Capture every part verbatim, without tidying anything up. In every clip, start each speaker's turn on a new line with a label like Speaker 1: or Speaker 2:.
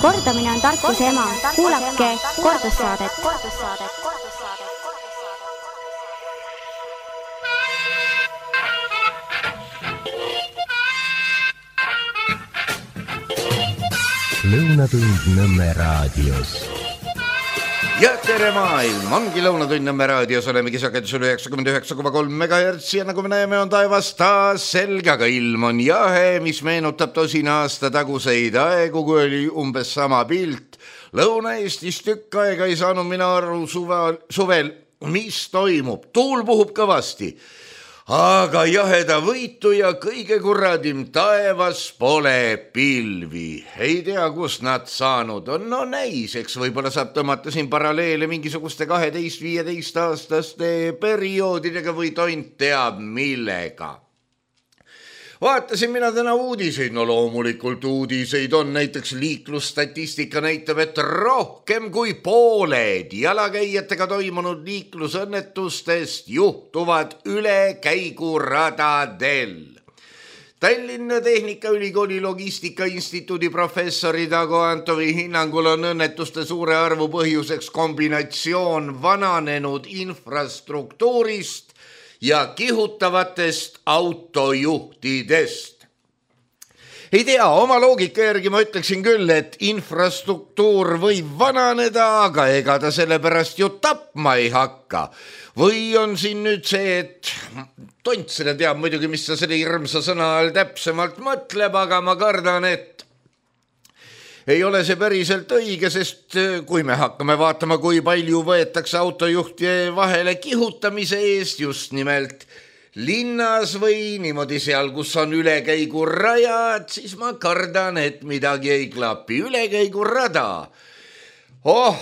Speaker 1: Kordamine on tarkuse ema. Kuulake kordussaadet.
Speaker 2: Lõunatund Nõmme raadios.
Speaker 3: Ja tere maailm, ongi Lõunatund Nõmme raadios, olemegi sagedusel üheksakümmend üheksa koma kolm megahertsi ja nagu me näeme, on taevas taas selge, aga ilm on jahe, mis meenutab tosina aasta taguseid aegu, kui oli umbes sama pilt. Lõuna-Eestis tükk aega ei saanud mina aru suvel, suvel, mis toimub. Tuul puhub kõvasti, aga jaheda võitu ja kõige kurradim taevas pole pilvi. Ei tea, kus nad saanud on. No näis, eks võib-olla saab tõmmata siin paralleele mingisuguste kaheteist viieteist aastaste perioodidega või tont teab millega. Vaatasin mina täna uudiseid, no loomulikult uudiseid on, näiteks liiklusstatistika näitab, et rohkem kui pooled jalakäijatega toimunud liiklusõnnetustest juhtuvad ülekäiguradadel. Tallinna Tehnikaülikooli Logistikainstituudi professori Dago Antovi hinnangul on õnnetuste suure arvu põhjuseks kombinatsioon vananenud infrastruktuurist ja kihutavatest autojuhtidest. Ei tea, oma loogika järgi ma ütleksin küll, et infrastruktuur võib vananeda, aga ega ta sellepärast ju tapma ei hakka. Või on siin nüüd see, et tont selle teab muidugi, mis sa selle hirmsa sõna all täpsemalt mõtleb, aga ma kardan, et ei ole see päriselt õige, sest kui me hakkame vaatama, kui palju võetakse autojuhti vahele kihutamise eest just nimelt linnas või niimoodi seal, kus on ülekäigurajad, siis ma kardan, et midagi ei klapi. Ülekäigurada. Oh,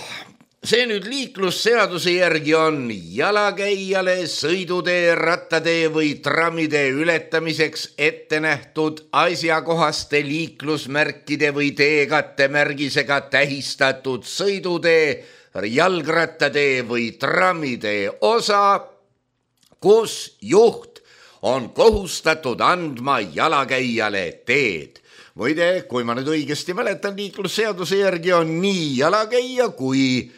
Speaker 3: see nüüd liiklusseaduse järgi on jalakäijale sõidutee, rattatee või trammidee ületamiseks ette nähtud asjakohaste liiklusmärkide või teekattemärgisega tähistatud sõidutee, jalgrattatee või trammidee osa, kus juht on kohustatud andma jalakäijale teed. Muide, kui ma nüüd õigesti mäletan, liiklusseaduse järgi on nii jalakäija kui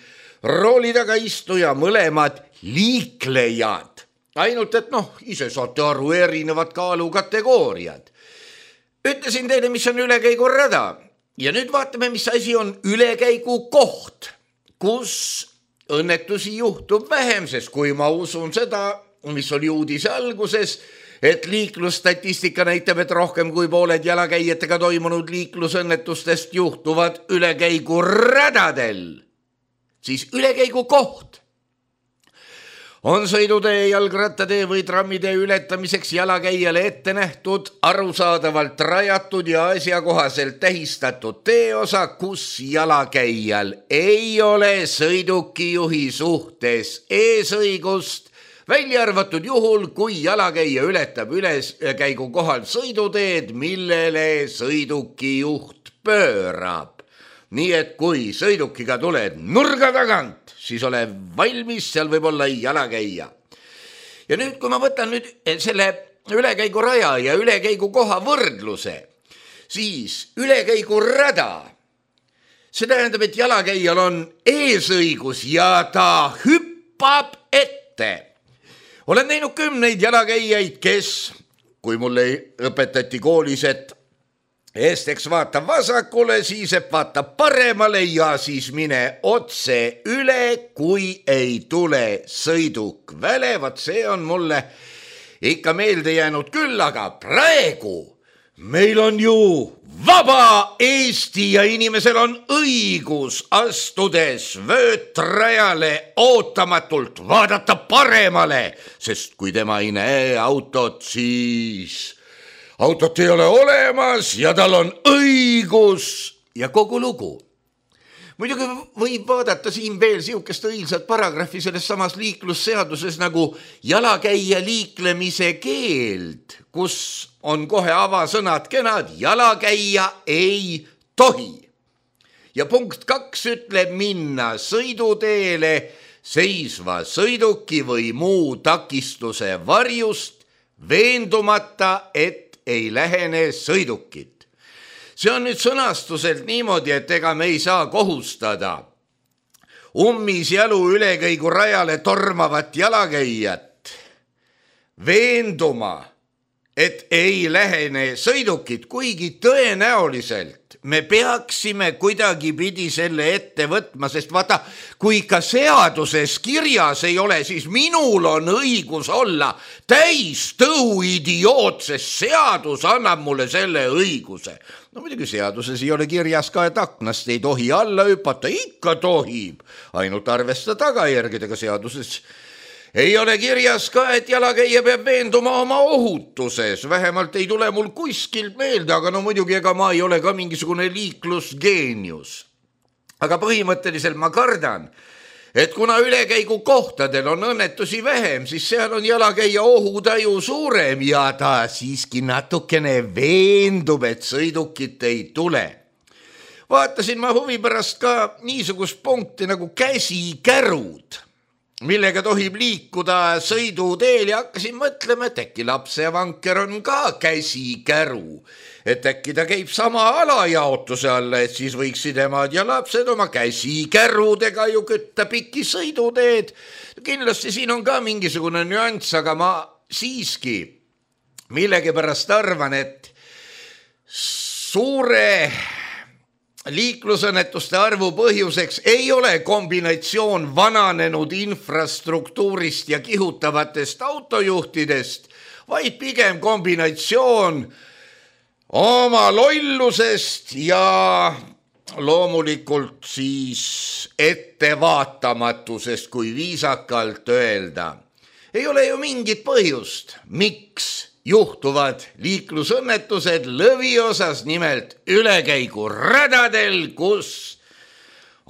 Speaker 3: rooli taga istuja mõlemad liiklejad. Ainult, et noh, ise saate aru, erinevad kaalukategooriad. Ütlesin teile, mis on ülekäigurada. Ja nüüd vaatame, mis asi on ülekäigu koht, kus õnnetusi juhtub vähem, sest kui ma usun seda, mis oli uudise alguses, et liiklusstatistika näitab, et rohkem kui pooled jalakäijatega toimunud liiklusõnnetustest juhtuvad ülekäiguradadel, siis ülekäigu koht on sõidutee, jalgrattatee või trammidee ületamiseks jalakäijale ette nähtud, arusaadavalt rajatud ja asjakohaselt tähistatud teeosa, kus jalakäijal ei ole sõidukijuhi suhtes eesõigust, välja arvatud juhul, kui jalakäija ületab ülekäigu kohal sõiduteed, millele sõidukijuht pöörab. Nii et kui sõidukiga tuled nurga tagant, siis ole valmis, seal võib olla jalakäija. Ja nüüd, kui ma võtan nüüd selle ülekäigu raja ja ülekäigu koha võrdluse, siis ülekäigu rada, see tähendab, et jalakäijal on eesõigus ja ta hüppab ette. Olen näinud kümneid jalakäijaid, kes, kui mulle õpetati koolis, et Esteks vaata vasakule, siis et vaata paremale ja siis mine otse üle, kui ei tule sõiduk välevat. See on mulle ikka meelde jäänud küll, aga praegu meil on ju vaba Eesti ja inimesel on õigus astudes vöötrajale ootamatult vaadata paremale, sest kui tema ei näe autot, siis autot ei ole olemas ja tal on õigus ja kogu lugu. Muidugi võib vaadata siin veel siukest õilsat paragrahvi selles samas liiklusseaduses nagu jalakäija liiklemise keeld, kus on kohe avasõnad kenad, jalakäija ei tohi. Ja punkt kaks ütleb minna sõiduteele seisva sõiduki või muu takistuse varjust veendumata, et ei lähene sõidukit. see on nüüd sõnastuselt niimoodi, et ega me ei saa kohustada ummis jalu ülekäigu rajale tormavat jalakäijat veenduma, et ei lähene sõidukid, kuigi tõenäoliselt me peaksime kuidagipidi selle ette võtma, sest vaata, kui ka seaduses kirjas ei ole, siis minul on õigus olla täis tõu idioot, sest seadus annab mulle selle õiguse. No muidugi seaduses ei ole kirjas ka, et aknast ei tohi alla hüpata, ikka tohib, ainult arvesta tagajärgedega. Seaduses ei ole kirjas ka, et jalakäija peab veenduma oma ohutuses, vähemalt ei tule mul kuskilt meelde, aga no muidugi ega ma ei ole ka mingisugune liiklusgeenius. Aga põhimõtteliselt ma kardan, et kuna ülekäigu kohtadel on õnnetusi vähem, siis seal on jalakäija ohutaju suurem ja ta siiski natukene veendub, et sõidukit ei tule. Vaatasin ma huvi pärast ka niisugust punkti nagu käsikärud, millega tohib liikuda sõiduteel ja hakkasin mõtlema, et äkki lapsevanker on ka käsikäru, et äkki ta käib sama alajaotuse alla, et siis võiksid emad ja lapsed oma käsikärudega ju kütta pikki sõiduteed. Kindlasti siin on ka mingisugune nüanss, aga ma siiski millegipärast arvan, et suure liiklusõnnetuste arvu põhjuseks ei ole kombinatsioon vananenud infrastruktuurist ja kihutavatest autojuhtidest, vaid pigem kombinatsioon oma lollusest ja loomulikult siis ettevaatamatusest, kui viisakalt öelda. Ei ole ju mingit põhjust, miks juhtuvad liiklusõnnetused lõviosas, nimelt ülekäigu radadel, kus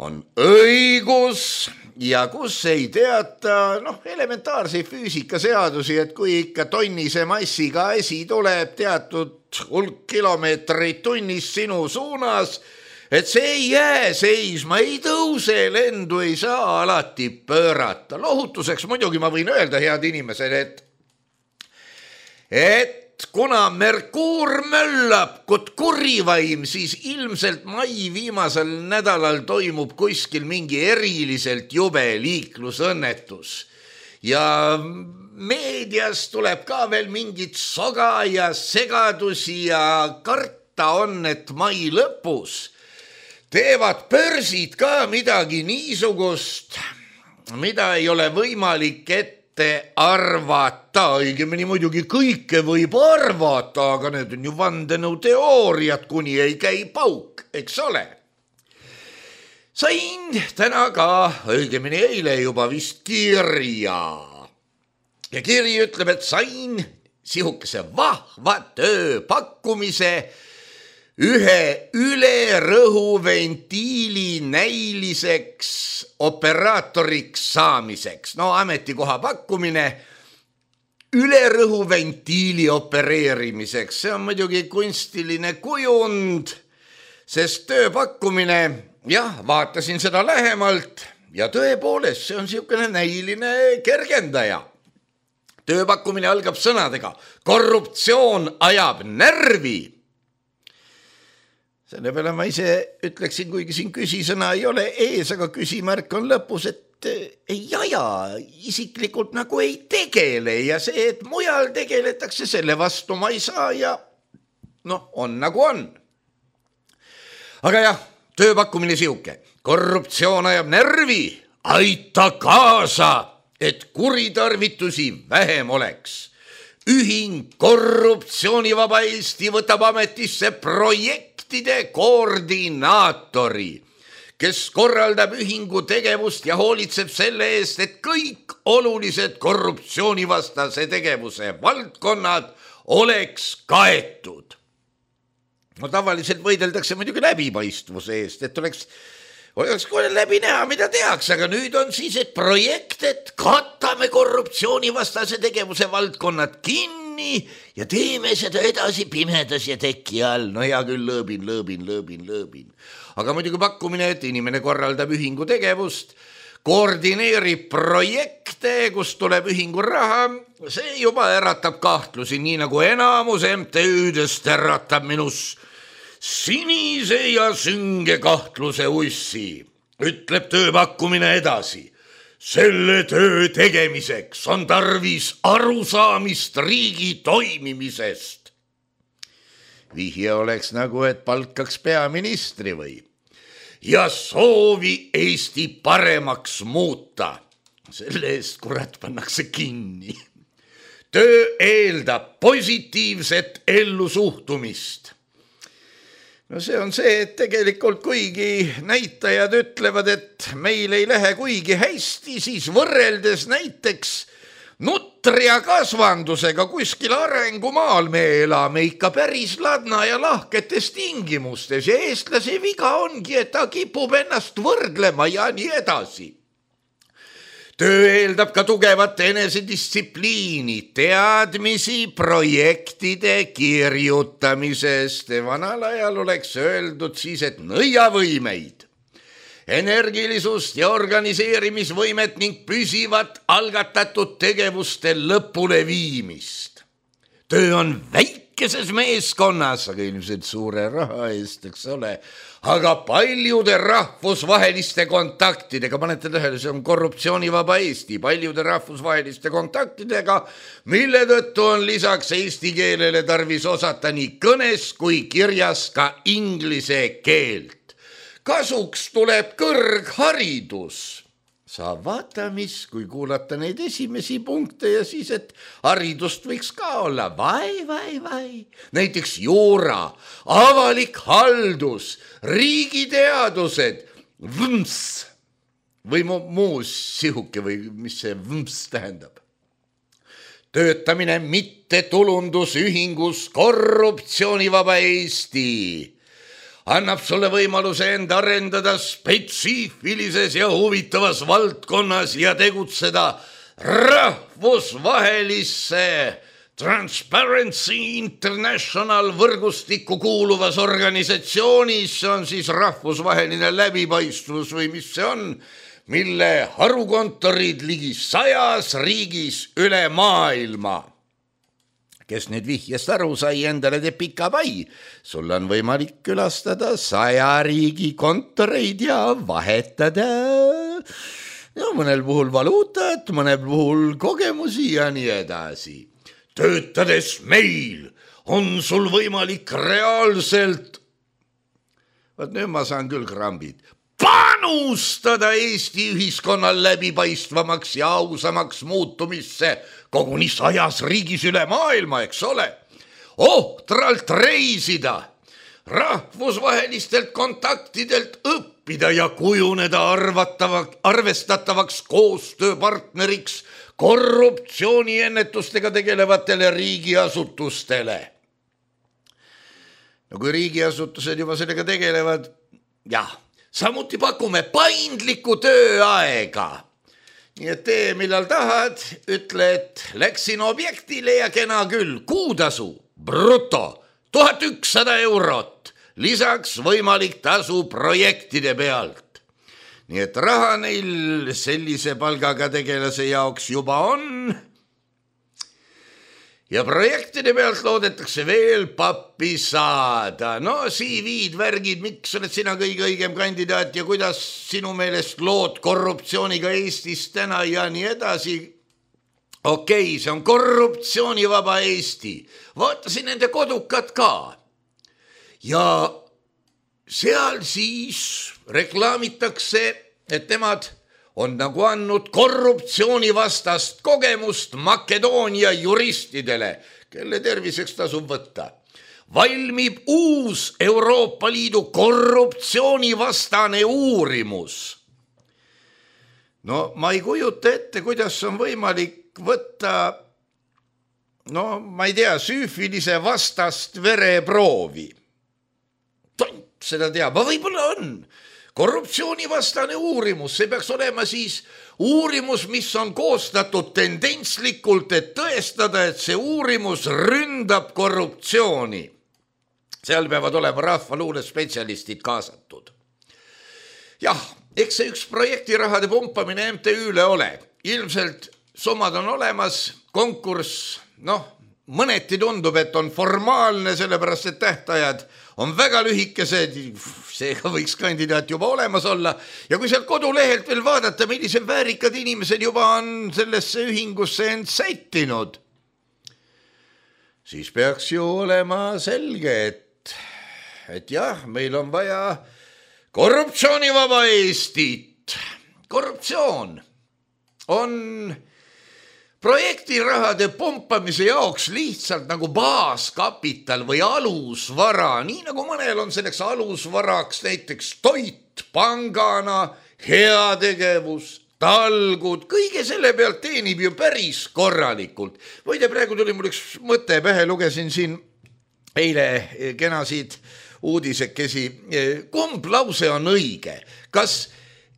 Speaker 3: on õigus ja kus ei teata noh, elementaarseid füüsikaseadusi, et kui ikka tonnise massiga asi tuleb teatud hulk kilomeetreid tunnis sinu suunas, et see ei jää seisma, ei tõuse, lendu ei saa alati pöörata. Lohutuseks muidugi ma võin öelda, head inimesed, et et kuna Merkuur möllab kot kurivaim, siis ilmselt mai viimasel nädalal toimub kuskil mingi eriliselt jube liiklusõnnetus. Ja meedias tuleb ka veel mingit soga ja segadusi ja karta on, et mai lõpus teevad börsid ka midagi niisugust, mida ei ole võimalik ette arvata, õigemini muidugi kõike võib arvata, aga need on ju vandenõuteooriad, kuni ei käi pauk, eks ole. Sain täna ka, õigemini eile juba vist kirja. Ja kiri ütleb, et sain sihukese vahva tööpakkumise ühe ülerõhuventiili näiliseks operaatoriks saamiseks. No ametikoha pakkumine ülerõhuventiili opereerimiseks. See on muidugi kunstiline kujund, sest tööpakkumine, jah, vaatasin seda lähemalt ja tõepoolest, see on sihukene näiline kergendaja. Tööpakkumine algab sõnadega: korruptsioon ajab närvi. Selle peale ma ise ütleksin, kuigi siin küsisõna ei ole ees, aga küsimärk on lõpus, et ei aja, isiklikult nagu ei tegele ja see, et mujal tegeletakse, selle vastu ma ei saa ja noh, on nagu on. Aga jah, tööpakkumine sihuke: korruptsioon ajab närvi, aita kaasa, et kuritarvitusi vähem oleks. Ühing Korruptsioonivaba Eesti võtab ametisse projektide koordinaatori, kes korraldab ühingu tegevust ja hoolitseb selle eest, et kõik olulised korruptsioonivastase tegevuse valdkonnad oleks kaetud. No tavaliselt võideldakse muidugi läbipaistvuse eest, et oleks oleks kohe läbi näha, mida tehakse, aga nüüd on siis, et projekt, et katame korruptsioonivastase tegevuse valdkonnad kinni ja teeme seda edasi pimedas ja teki all. No hea küll, lõõbin, lõõbin, lõõbin, lõõbin. Aga muidugi pakkumine, et inimene korraldab ühingu tegevust, koordineerib projekte, kus tuleb ühingu raha, see juba äratab kahtlusi, nii nagu enamus M T Ü-dest äratab minus sinise ja sünge kahtluse ussi, ütleb tööpakkumine edasi. Selle töö tegemiseks on tarvis arusaamist riigi toimimisest. Vihje oleks nagu, et palkaks peaministri või ja soovi Eesti paremaks muuta. Selle eest kurat pannakse kinni. Töö eeldab positiivset ellusuhtumist. No see on see, et tegelikult kuigi näitajad ütlevad, et meil ei lähe kuigi hästi, siis võrreldes näiteks nutria kasvandusega kuskil arengumaal me elame ikka päris ladna ja lahketes tingimustes ja eestlase viga ongi, et ta kipub ennast võrdlema ja nii edasi. Töö eeldab ka tugevat enesedistsipliini, teadmisi projektide kirjutamisest. Vanal ajal oleks öeldud siis, et nõiavõimeid, energilisust ja organiseerimisvõimet ning püsivat algatatud tegevuste lõpule viimist. Töö on väikeses meeskonnas, aga ilmselt suure raha eest, eks ole, aga paljude rahvusvaheliste kontaktidega, panete tähele, see on korruptsioonivaba Eesti, paljude rahvusvaheliste kontaktidega, mille tõttu on lisaks eesti keelele tarvis osata nii kõnes kui kirjas ka inglise keelt. Kasuks tuleb kõrgharidus. Saab vaata mis, kui kuulata neid esimesi punkte ja siis, et haridust võiks ka olla. Vai, vai, vai. Näiteks juura, avalik haldus, riigiteadused, võms või muus sihuke või mis see võms tähendab. Töötamine mitte tulundusühingus korruptsioonivaba Eesti annab sulle võimaluse enda arendada spetsiifilises ja huvitavas valdkonnas ja tegutseda rahvusvahelisse Transparency International võrgustikku kuuluvas organisatsioonis, see on siis rahvusvaheline läbipaistvus või mis see on, mille harukontorid ligi sajas riigis üle maailma. Kes nüüd vihjest aru sai, endale teeb pika pai. Sul on võimalik külastada saja riigi kontoreid ja vahetada ja mõnel puhul valuutat, mõnel puhul kogemusi ja nii edasi. Töötades meil on sul võimalik reaalselt, vaat nüüd ma saan küll krambid, panustada Eesti ühiskonna läbipaistvamaks ja ausamaks muutumisse koguni sajas riigis üle maailma, eks ole. Ohtralt reisida, rahvusvahelistelt kontaktidelt õppida ja kujuneda arvatavaks, arvestatavaks koostööpartneriks korruptsiooniennetustega tegelevatele riigiasutustele. No kui riigiasutused juba sellega tegelevad, jah, samuti pakume paindlikku tööaega. Nii et tee, millal tahad, ütle, et läksin objektile ja kena küll, kuutasu, bruto, tuhat ükssada eurot, lisaks võimalik tasu projektide pealt. Nii et raha neil sellise palgaga tegelase jaoks juba on. Ja projektide pealt loodetakse veel pappi saada. No C V-d, värgid, miks oled sina kõige õigem kandidaat ja kuidas sinu meelest lood korruptsiooniga Eestis täna ja nii edasi. Okei, see on korruptsioonivaba Eesti. Vaatasin nende kodukat ka. Ja seal siis reklaamitakse, et nemad on nagu andnud korruptsioonivastast kogemust Makedoonia juristidele, kelle terviseks tasub võtta. Valmib uus Euroopa Liidu korruptsioonivastane uurimus. No ma ei kujuta ette, kuidas on võimalik võtta, no ma ei tea, süüfilise vastast vereproovi. Tont seda teab, aga võib-olla on. Korruptsioonivastane uurimus, see peaks olema siis uurimus, mis on koostatud tendentslikult, et tõestada, et see uurimus ründab korruptsiooni. Seal peavad olema rahvaluule spetsialistid kaasatud. Jah, eks see üks projektirahade pumpamine M T Ü-le ole. Ilmselt summad on olemas, konkurss, noh, mõneti tundub, et on formaalne, sellepärast et tähtajad on väga lühikesed, seega võiks kandidaat juba olemas olla. Ja kui sealt kodulehelt veel vaadata, millised väärikad inimesed juba on sellesse ühingusse end sättinud, siis peaks ju olema selge, et, et jah, meil on vaja korruptsioonivaba Eestit. Korruptsioon on projektirahade pumpamise jaoks lihtsalt nagu baaskapital või alusvara, nii nagu mõnel on selleks alusvaraks näiteks toit, pangana, heategevus, talgud, kõige selle pealt teenib ju päris korralikult. Võide, praegu tuli mul üks mõte pähe, lugesin siin eile kenasid uudisekesi. Kumb lause on õige? Kas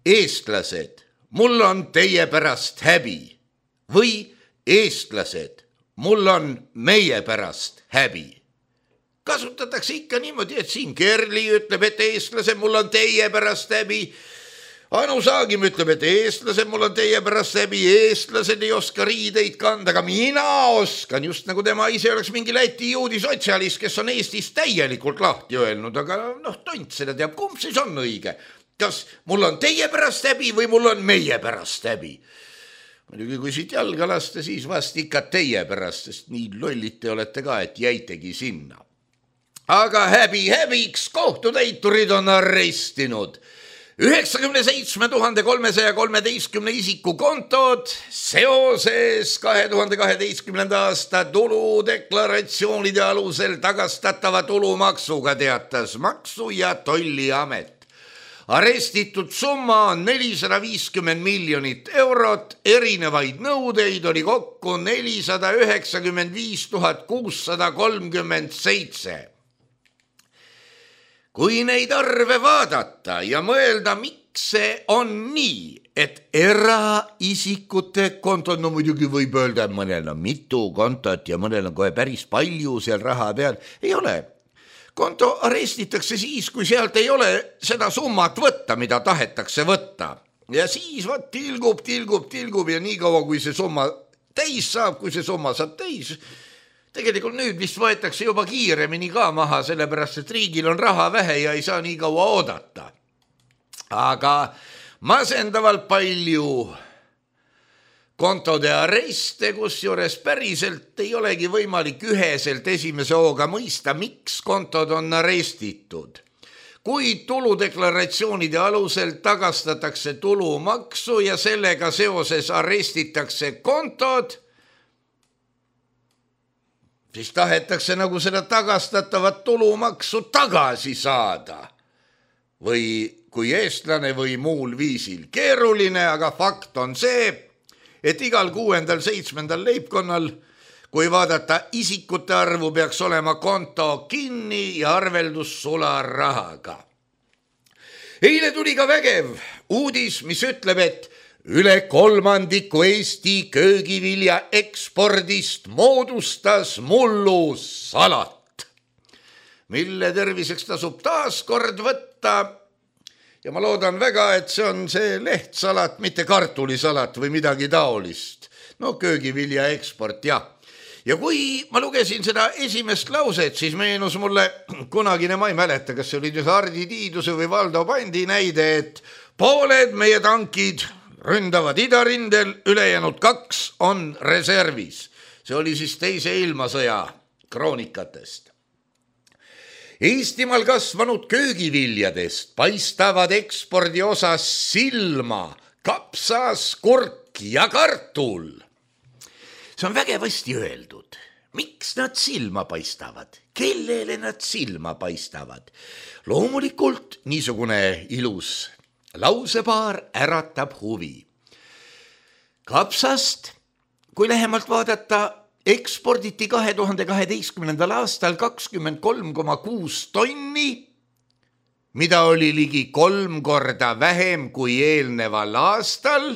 Speaker 3: eestlased, mul on teie pärast häbi või eestlased, mul on meie pärast häbi? Kasutatakse ikka niimoodi, et siin Kerli ütleb, et eestlased, mul on teie pärast häbi. Anu Saagim ütleb, et eestlased, mul on teie pärast häbi. Eestlased ei oska riideid kanda, aga mina oskan, just nagu tema ise oleks mingi Läti juudi sotsialist, kes on Eestis täielikult lahti öelnud, aga noh, tont seda teab, kumb siis on õige. Kas mul on teie pärast häbi või mul on meie pärast häbi? Muidugi, kui siit jalga lasta, siis vast ikka teie pärast, sest nii lollid te olete ka, et jäitegi sinna. Aga häbi häbiks, kohtutäiturid on arestinud üheksakümne seitsme tuhande kolmesaja kolmeteistkümne isiku kontod seoses kahe tuhande kaheteistkümnenda aasta tuludeklaratsioonide alusel tagastatava tulumaksuga, teatas Maksu- ja Tolliamet. Arestitud summa on nelisada viiskümmend miljonit eurot, erinevaid nõudeid oli kokku nelisada üheksakümmend viis tuhat kuussada kolmkümmend seitse. Kui neid arve vaadata ja mõelda, miks see on nii, et eraisikute kontod, no muidugi võib öelda, et mõnel on mitu kontot ja mõnel on kohe päris palju seal raha peal, ei ole. Konto arestitakse siis, kui sealt ei ole seda summat võtta, mida tahetakse võtta. Ja siis võt tilgub, tilgub, tilgub ja nii kaua, kui see summa täis saab, kui see summa saab täis. Tegelikult nüüd vist võetakse juba kiiremini ka maha, sellepärast, et riigil on raha vähe ja ei saa nii kaua oodata. Aga masendavalt palju kontode areste, kus juures päriselt ei olegi võimalik üheselt esimese hooga mõista, miks kontod on arestitud. Kui tuludeklaratsioonide alusel tagastatakse tulumaksu ja sellega seoses arestitakse kontod, siis tahetakse nagu seda tagastatavat tulumaksu tagasi saada. Või kui eestlane või muul viisil. Keeruline, aga fakt on see, et igal kuuendal, seitsmendal leibkonnal, kui vaadata isikute arvu, peaks olema konto kinni ja arveldus sularahaga. Eile tuli ka vägev uudis, mis ütleb, et üle kolmandiku Eesti köögivilja ekspordist moodustas mullusalat, mille terviseks tasub taas kord võtta. Ja ma loodan väga, et see on see lehtsalat, mitte kartulisalat või midagi taolist. No köögivilja eksport, jah. Ja kui ma lugesin seda esimest lauset, siis meenus mulle kunagine, ma ei mäleta, kas see oli Hardi Tiiduse või Valdo Pandi näide, et pooled meie tankid ründavad idarindel, ülejäänud kaks on reservis. See oli siis teise ilmasõja kroonikatest. Eestimaal kasvanud köögiviljadest paistavad ekspordi osas silma kapsas, kurk ja kartul. See on vägevasti öeldud. Miks nad silma paistavad? Kellele nad silma paistavad? Loomulikult niisugune ilus lausepaar äratab huvi. Kapsast, kui lähemalt vaadata, eksporditi kahe tuhande kaheteistkümnendal aastal kakskümmend kolm koma kuus tonni, mida oli ligi kolm korda vähem kui eelneval aastal,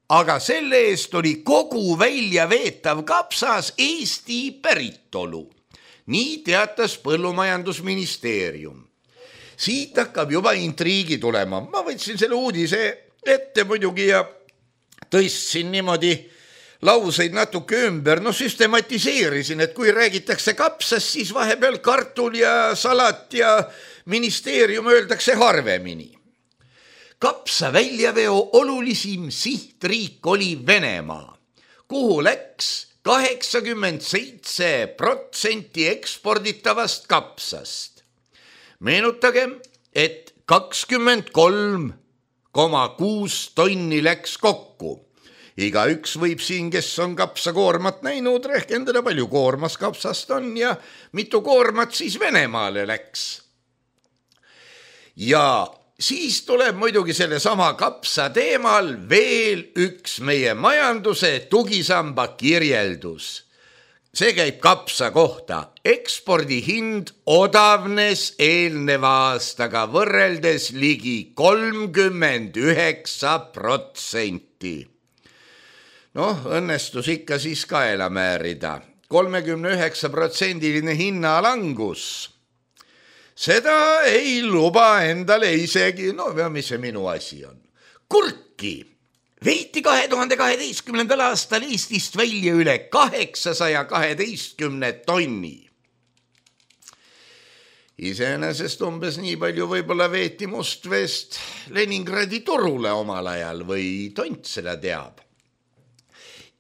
Speaker 3: aga selle eest oli kogu välja veetav kapsas Eesti päritolu. Nii teatas Põllumajandusministeerium. Siit hakkab juba intriigi tulema. Ma võtsin selle uudise ette muidugi ja tõstsin niimoodi lauseid natuke ümber, no süstematiseerisin, et kui räägitakse kapsast, siis vahepeal kartul ja salat ja ministeerium öeldakse harvemini. Kapsa väljaveo olulisim sihtriik oli Venemaa, kuhu läks kaheksakümmend seitse protsenti eksporditavast kapsast. Meenutagem, et kakskümmend kolm koma kuus tonni läks kokku. Iga üks võib siin, kes on kapsakoormat näinud, rehkendada palju koormas kapsast on ja mitu koormat siis Venemaale läks. Ja siis tuleb muidugi selle sama kapsa teemal veel üks meie majanduse tugisamba kirjeldus. See käib kapsa kohta. Ekspordihind odavnes eelneva aastaga võrreldes ligi kolmkümmend üheksa protsenti. Noh, õnnestus ikka siis kaela määrida. kolmekümne üheksa protsendiline hinnalangus. Seda ei luba endale isegi, no mis see minu asi on. Kurki veeti kahe tuhande kaheteistkümnendal aastal Eestist välja üle kaheksasaja kaheteistkümne tonni. Iseenesest umbes nii palju võib-olla veeti Mustveest Leningradi turule omal ajal või tont seda teab.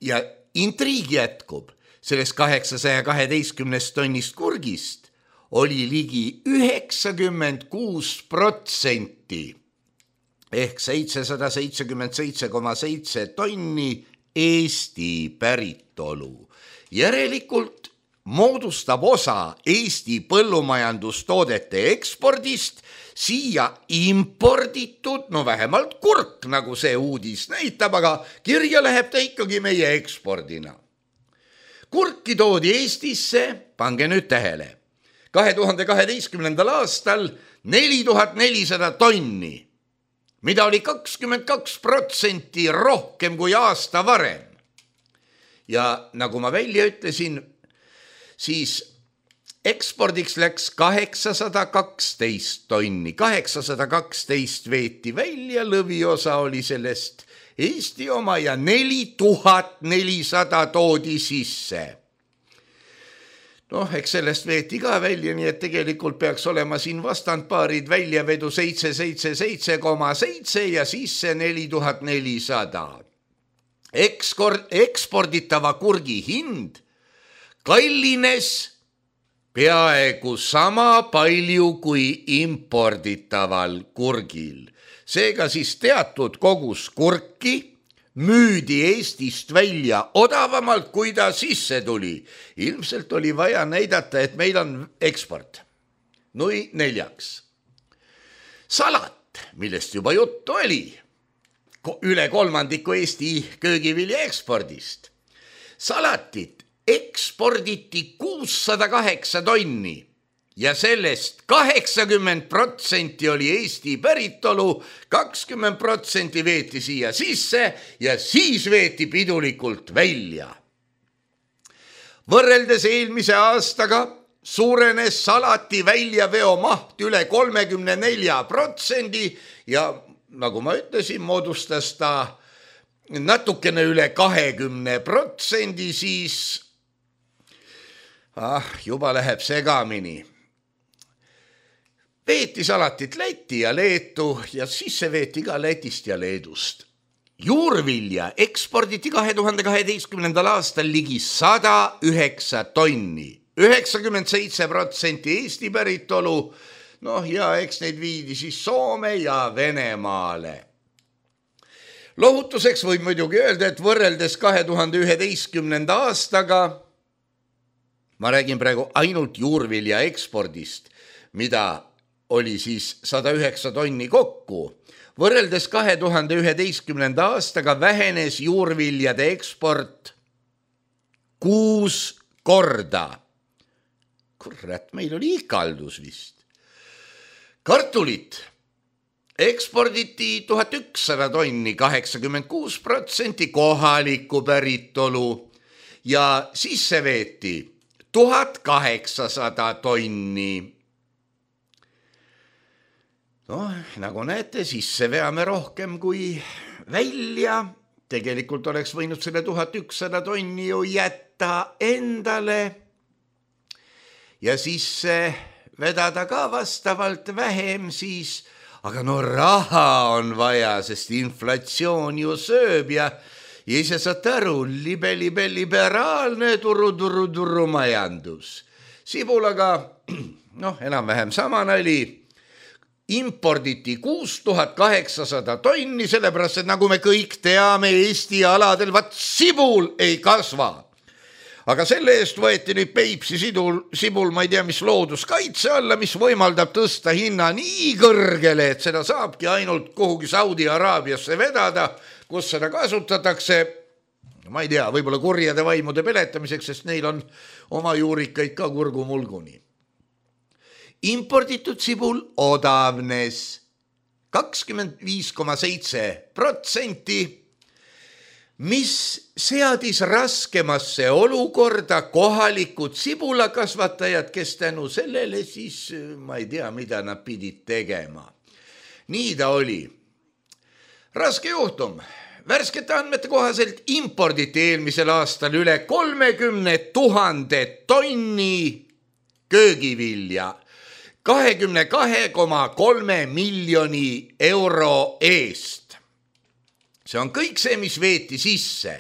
Speaker 3: Ja intriigi jätkub, sellest kaheksasaja kaheteistkümnest tonnist kurgist oli ligi üheksakümmend kuus protsenti ehk seitsesada seitsekümmend seitse koma seitse tonni Eesti päritolu. Järelikult moodustab osa Eesti põllumajandustoodete ekspordist siia imporditud, no vähemalt kurk, nagu see uudis näitab, aga kirja läheb ta ikkagi meie ekspordina. Kurki toodi Eestisse, pange nüüd tähele, kahe tuhande kaheteistkümnendal aastal neli tuhat nelisada tonni, mida oli kakskümmend kaks protsenti rohkem kui aasta varem. Ja nagu ma välja ütlesin, siis ekspordiks läks kaheksasada kaksteist tonni, kaheksasada kaksteist veeti välja, lõviosa oli sellest Eesti oma ja neli tuhat nelisada toodi sisse. Noh, eks sellest veeti ka välja, nii et tegelikult peaks olema siin vastandpaarid väljavedu seitse seitse seitse koma seitse ja sisse neli tuhat nelisada. Ekskord, eksporditava kurgi hind kallines peaaegu sama palju kui imporditaval kurgil. Seega siis teatud kogus kurki müüdi Eestist välja odavamalt, kui ta sisse tuli. Ilmselt oli vaja näidata, et meil on eksport. Nui neljaks. Salat, millest juba juttu oli, üle kolmandiku Eesti köögivilja ekspordist. Salatit eksporditi kuussada kaheksa tonni ja sellest kaheksakümmend protsenti oli Eesti päritolu, kakskümmend protsenti veeti siia sisse ja siis veeti pidulikult välja. Võrreldes eelmise aastaga suurenes salati väljaveo maht üle kolmekümne nelja protsendi ja nagu ma ütlesin, moodustas ta natukene üle kahekümne protsendi, siis ah, juba läheb segamini. Veeti salatit Läti ja Leetu ja sisse veeti ka Lätist ja Leedust. Juurvilja eksporditi kahe tuhande kaheteistkümnendal aastal ligi sada üheksa tonni, üheksakümmend seitse protsenti Eesti päritolu, noh ja eks neid viidi siis Soome ja Venemaale. Lohutuseks võib muidugi öelda, et võrreldes kahe tuhande üheteistkümnenda aastaga, ma räägin praegu ainult juurvilja ekspordist, mida oli siis sada üheksa tonni kokku. Võrreldes kahe tuhande üheteistkümnenda aastaga vähenes juurviljade eksport kuus korda. Kurat, meil oli ikaldus vist. Kartulit eksporditi tuhat ükssada tonni, kaheksakümmend kuus protsenti kohaliku päritolu ja sisse veeti tuhat kaheksasada tonni. No, nagu näete, sisse veame rohkem kui välja, tegelikult oleks võinud selle tuhat ükssada tonni ju jätta endale ja siis vedada ka vastavalt vähem siis, aga no raha on vaja, sest inflatsioon ju sööb ja ja ise saate aru, libe, libe, liberaalne turu, turu, turu majandus. Sibulaga, noh, enam-vähem sama nali, imporditi kuus tuhat kaheksasada tonni, sellepärast, et nagu me kõik teame, Eesti aladel vaat sibul ei kasva. Aga selle eest võeti nüüd Peipsi sidul, sibul, ma ei tea, mis looduskaitse alla, mis võimaldab tõsta hinna nii kõrgele, et seda saabki ainult kuhugi Saudi-Araabiasse vedada, kus seda kasutatakse, ma ei tea, võib-olla kurjade vaimude peletamiseks, sest neil on oma juurikaid ka kurgumulguni. Imporditud sibul odavnes kakskümmend viis koma seitse protsenti, mis seadis raskemasse olukorda kohalikud sibulakasvatajad, kes tänu sellele siis, ma ei tea, mida nad pidid tegema. Nii ta oli. Raske juhtum. Värskete andmete kohaselt imporditi eelmisel aastal üle kolmekümne tuhande tonni köögivilja kahekümne kahe koma kolme miljoni euro eest. See on kõik see, mis veeti sisse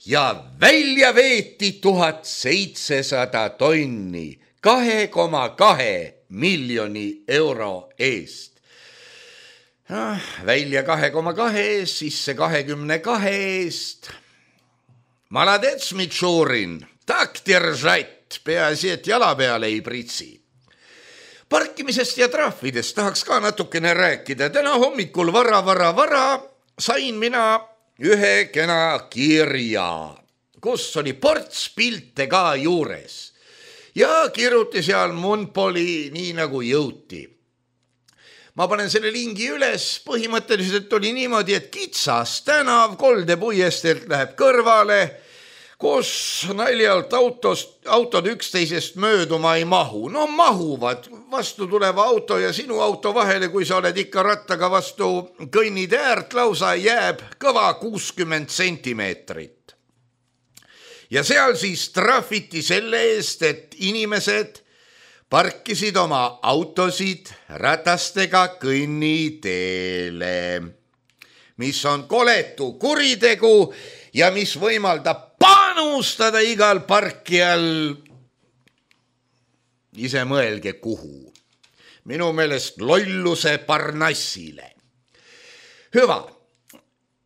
Speaker 3: ja välja veeti tuhat seitsesada tonni kahe koma kahe miljoni euro eest. Välja kahe koma kahe eest, sisse kahekümne kahe eest. Maladets Mitšurin, tak держать, peaasi, et jala peale ei pritsi. Parkimisest ja trahvidest tahaks ka natukene rääkida. Täna hommikul vara, vara, vara sain mina ühe kena kirja, kus oli ports pilte ka juures ja kirjuti seal Munpoli nii nagu jõuti. Ma panen selle lingi üles, põhimõtteliselt oli niimoodi, et kitsas tänav Kolde puiesteelt läheb kõrvale, kus naljalt autost, autod üksteisest mööduma ei mahu. No mahuvad vastu tuleva auto ja sinu auto vahele, kui sa oled ikka rattaga vastu kõnnide äärt, lausa jääb kõva kuuskümmend sentimeetrit. Ja seal siis trahviti selle eest, et inimesed parkisid oma autosid ratastega kõnniteele, mis on koletu kuritegu ja mis võimaldab panustada igal parkijal, ise mõelge kuhu, minu meelest lolluse parnassile. Hüva,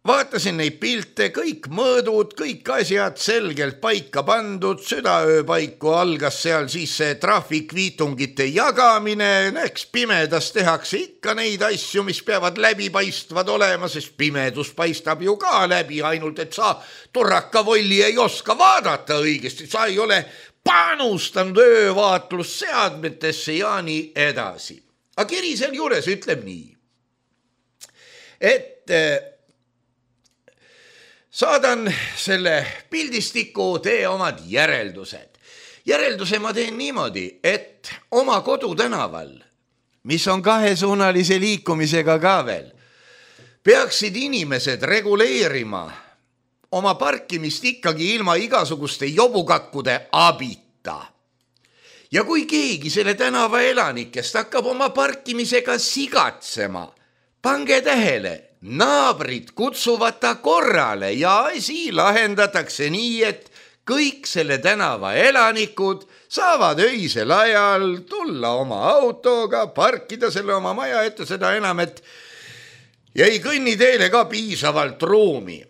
Speaker 3: vaatasin neid pilte, kõik mõõdud, kõik asjad selgelt paika pandud, südaöö paiku algas seal siis see trahvikviitungite jagamine, eks pimedas tehakse ikka neid asju, mis peavad läbipaistvad olema, sest pimedus paistab ju ka läbi, ainult et sa turrakavolli ei oska vaadata õigesti, sa ei ole panustanud öövaatlusseadmetesse ja nii edasi. Aga kiri seal juures ütleb nii, et saadan selle pildistiku, tee omad järeldused. Järelduse ma teen niimoodi, et oma kodutänaval, mis on kahesuunalise liikumisega ka veel, peaksid inimesed reguleerima oma parkimist ikkagi ilma igasuguste jobukakkude abita. Ja kui keegi selle tänava elanikest hakkab oma parkimisega sigatsema, pange tähele, naabrid kutsuvad ta korrale ja asi lahendatakse nii, et kõik selle tänava elanikud saavad öisel ajal tulla oma autoga, parkida selle oma maja ette, seda enam, et jäi kõnniteele ka piisavalt ruumi.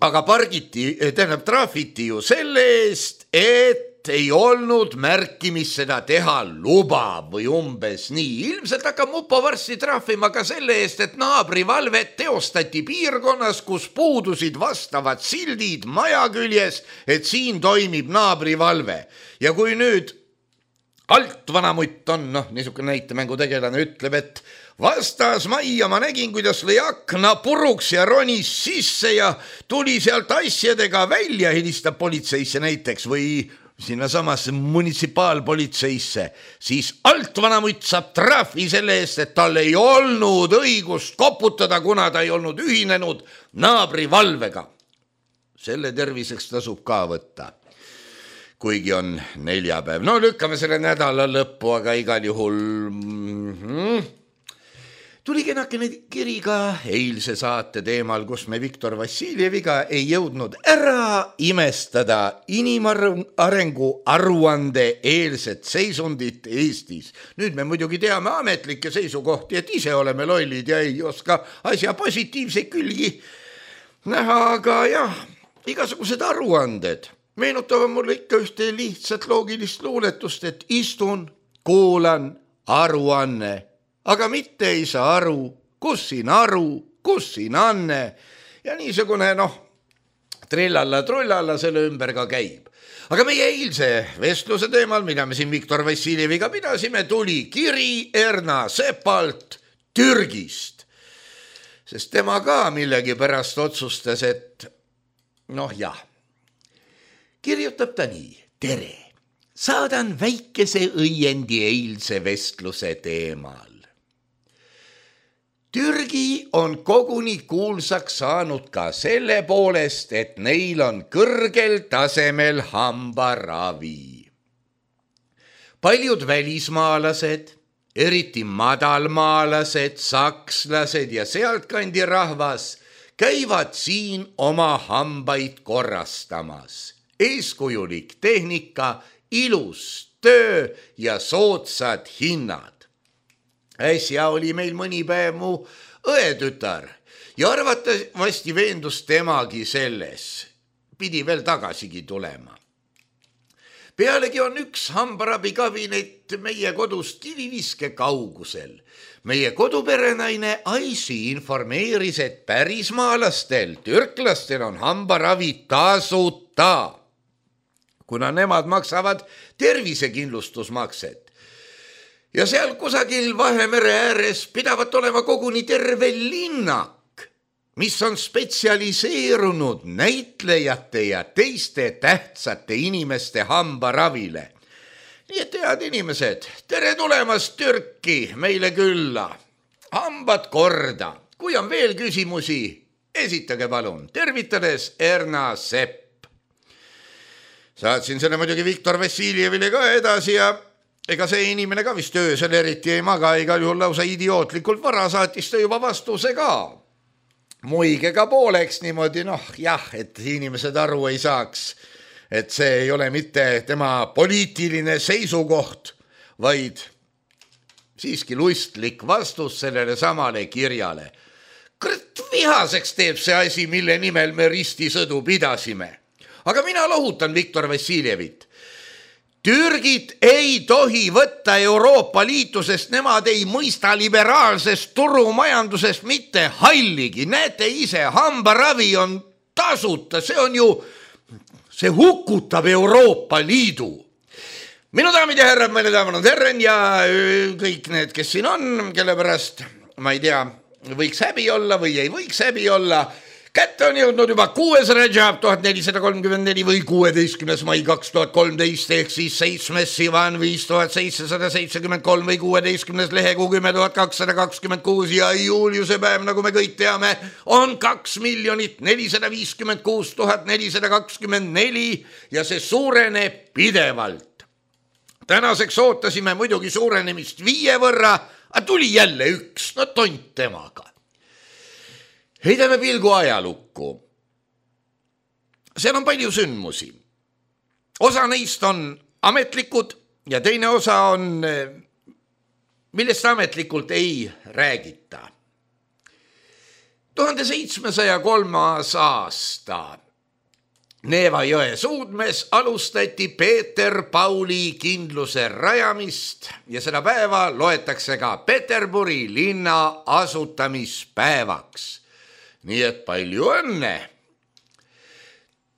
Speaker 3: Aga pargiti, tähendab trahviti ju selle eest, et ei olnud märkimis seda teha luba või umbes nii. Ilmselt hakkab mupo varsti trahvima ka selle eest, et naabrivalvet teostati piirkonnas, kus puudusid vastavad sildid maja küljes, et siin toimib naabrivalve. Ja kui nüüd alt vanamutt on, noh, niisugune näitemängu tegelane ütleb, et vastas majja ma nägin, kuidas lõi akna puruks ja ronis sisse ja tuli sealt asjadega välja, helistab politseisse näiteks või sinna samasse munitsipaalpolitseisse, siis alt vanamutt saab trahvi selle eest, et tal ei olnud õigust koputada, kuna ta ei olnud ühinenud naabri valvega. Selle terviseks tasub ka võtta, kuigi on neljapäev. No lükkame selle nädala lõppu, aga igal juhul mm-hmm. tuli kenakene kiri ka eilse saate teemal, kus me Viktor Vassiljeviga ei jõudnud ära imestada inimarengu aruande eelset seisundit Eestis. Nüüd me muidugi teame ametlikke seisukohti, et ise oleme lollid ja ei oska asja positiivseid külgi näha, aga jah, igasugused aruanded meenutavad mulle ikka ühte lihtsat loogilist luuletust, et istun, kuulan, aruanne, aga mitte ei saa aru, kus siin aru, kus siin anne ja niisugune noh, trillalla trullalla selle ümber ka käib. Aga meie eilse vestluse teemal, mida me siin Viktor Vassiljeviga pidasime, tuli kiri Erna Sepalt Türgist, sest tema ka millegi pärast otsustas, et noh jah, kirjutab ta nii. Tere, saadan väikese õiendi eilse vestluse teemal. Türgi on koguni kuulsaks saanud ka selle poolest, et neil on kõrgel tasemel hambaravi. Paljud välismaalased, eriti madalmaalased, sakslased ja sealtkandi rahvas käivad siin oma hambaid korrastamas. Eeskujulik tehnika, ilus töö ja soodsad hinnad. Äsja oli meil mõni päev mu õetütar ja arvatavasti veendus temagi selles. Pidi veel tagasigi tulema. Pealegi on üks hambarabikabinet meie kodust kiviviske kaugusel. Meie koduperenaine Aisi informeeris, et pärismaalastel, türklastel on hambaravi tasuta, kuna nemad maksavad tervisekindlustusmakset. Ja seal kusagil Vahemere ääres pidavat olema koguni terve linnak, mis on spetsialiseerunud näitlejate ja teiste tähtsate inimeste hambaravile. Nii et head inimesed, tere tulemast Türki meile külla. Hambad korda. Kui on veel küsimusi, esitage palun. Tervitades Erna Sepp. Saatsin selle muidugi Viktor Vassiljevile ka edasi ja ega see inimene ka vist öösel eriti ei maga, igal juhul lausa idiootlikult vara saatis ta juba vastuse ka. Muige ka pooleks niimoodi, noh jah, et inimesed aru ei saaks, et see ei ole mitte tema poliitiline seisukoht, vaid siiski lustlik vastus sellele samale kirjale. Kõrt vihaseks teeb see asi, mille nimel me ristisõdu pidasime. Aga mina lohutan Viktor Vassiljevit. Türgit ei tohi võtta Euroopa Liitu, sest nemad ei mõista liberaalsest turumajandusest mitte halligi. Näete ise, hambaravi on tasuta, see on ju, see hukutab Euroopa Liidu. Minu daamid ja härrad, meine daamid on herren ja kõik need, kes siin on, kelle pärast, ma ei tea, võiks häbi olla või ei võiks häbi olla. Kätte on jõudnud juba kuues Rajab tuhat nelisada kolmkümmend neli või kuueteistkümnes mai kaks tuhat kolmteist ehk siis seitsmes Sivan viis tuhat seitsesada seitsekümmend kolm või kuueteistkümnes lehekuu kümme tuhat kakssada kakskümmend kuus ja juuliuse päev, nagu me kõik teame, on kaks miljonit nelisada viiskümmend kuus tuhat nelisada kakskümmend neli ja see suureneb pidevalt. Tänaseks ootasime muidugi suurenemist viie võrra, aga tuli jälle üks, no tont temaga. Heidame pilgu ajalukku. Seal on palju sündmusi. Osa neist on ametlikud ja teine osa on, millest ametlikult ei räägita. tuhande seitsmesaja kolmas aasta Neeva jõe suudmes alustati Peeter Pauli kindluse rajamist ja seda päeva loetakse ka Peterburi linna asutamispäevaks. Nii et palju õnne.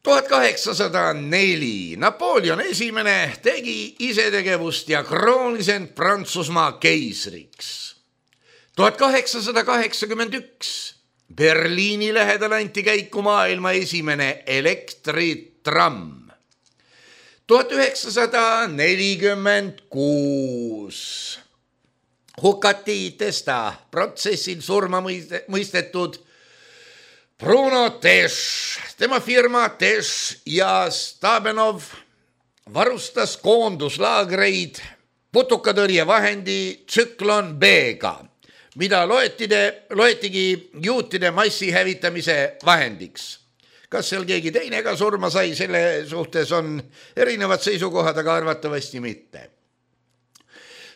Speaker 3: tuhat kaheksasada neli Napoleon esimene tegi isetegevust ja kroonis end Prantsusmaa keisriks. tuhat kaheksasada kaheksakümmend üks Berliini lähedal anti käiku maailma esimene elektritramm. tuhat üheksasada nelikümmend kuus hukati Testa protsessil surma mõistetud Bruno Tesch, tema firma Tesch ja Stabenov varustas koonduslaagreid putukatõrjevahendi Tsüklon B-ga, mida loetide, loetigi juutide massihävitamise vahendiks. Kas seal keegi teine ka surma sai, selle suhtes on erinevad seisukohad, aga arvatavasti mitte.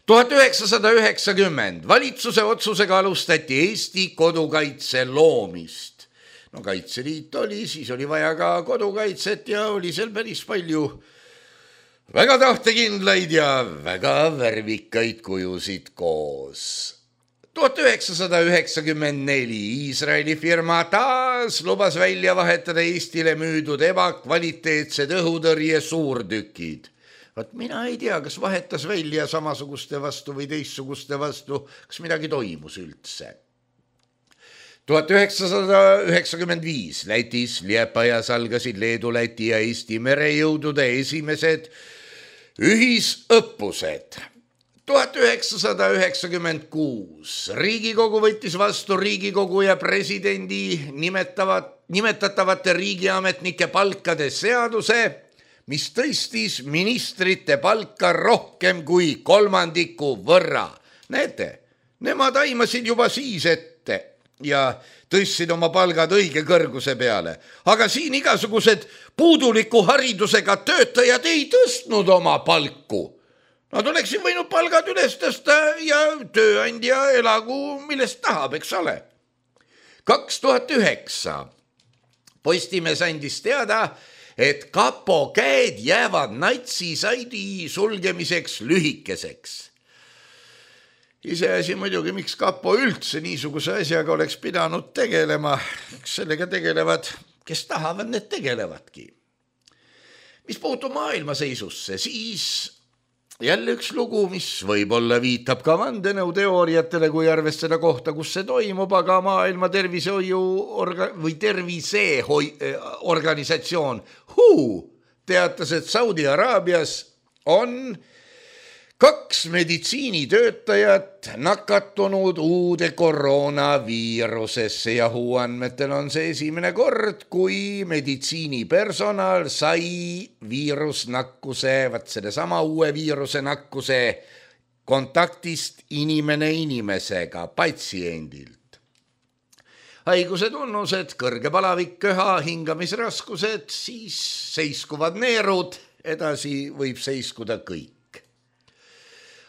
Speaker 3: tuhat üheksasada üheksakümmend valitsuse otsusega alustati Eesti kodukaitse loomist. No Kaitseliit oli, siis oli vaja ka kodukaitset ja oli seal päris palju väga tahtekindlaid ja väga värvikaid kujusid koos. tuhat üheksasada üheksakümmend neli Iisraeli firma taas lubas välja vahetada Eestile müüdud ebakvaliteetsed õhutõrje suurtükid. Vaat mina ei tea, kas vahetas välja samasuguste vastu või teissuguste vastu, kas midagi toimus üldse. tuhat üheksasada üheksakümmend viis Lätis Liepajas algasid Leedu, Läti ja Eesti merejõudude esimesed ühisõppused. tuhat üheksasada üheksakümmend kuus Riigikogu võttis vastu Riigikogu ja presidendi nimetavat, nimetatavate riigiametnike palkade seaduse, mis tõstis ministrite palka rohkem kui kolmandiku võrra. Näete, nemad aimasid juba siis ette ja tõstsid oma palgad õige kõrguse peale. Aga siin igasugused puuduliku haridusega töötajad ei tõstnud oma palku. Nad oleksid võinud palgad üles tõsta ja tööandja elagu millest tahab, eks ole. kaks tuhat üheksa Postimees andis teada, et kapo käed jäävad natsisaidi sulgemiseks lühikeseks. Iseasi muidugi, miks kapo üldse niisuguse asjaga oleks pidanud tegelema. Sellega tegelevad, kes tahavad, need tegelevadki. Mis puutub maailma seisusse, siis jälle üks lugu, mis võib-olla viitab ka vandenõuteooriatele, kui arvestada kohta, kus see toimub, aga maailma tervisehoiu orga- või terviseorganisatsioon W H O teatas, et Saudi Araabias on kaks meditsiinitöötajat nakatunud uude koroonaviirusesse ja W H O andmetel on see esimene kord, kui meditsiinipersonal sai viirusnakkuse, vaat selle sama uue viiruse nakkuse kontaktist inimene inimesega, patsiendilt. Haiguse tunnused, kõrge palavik, köha, hingamisraskused, siis seiskuvad neerud, edasi võib seiskuda kõik.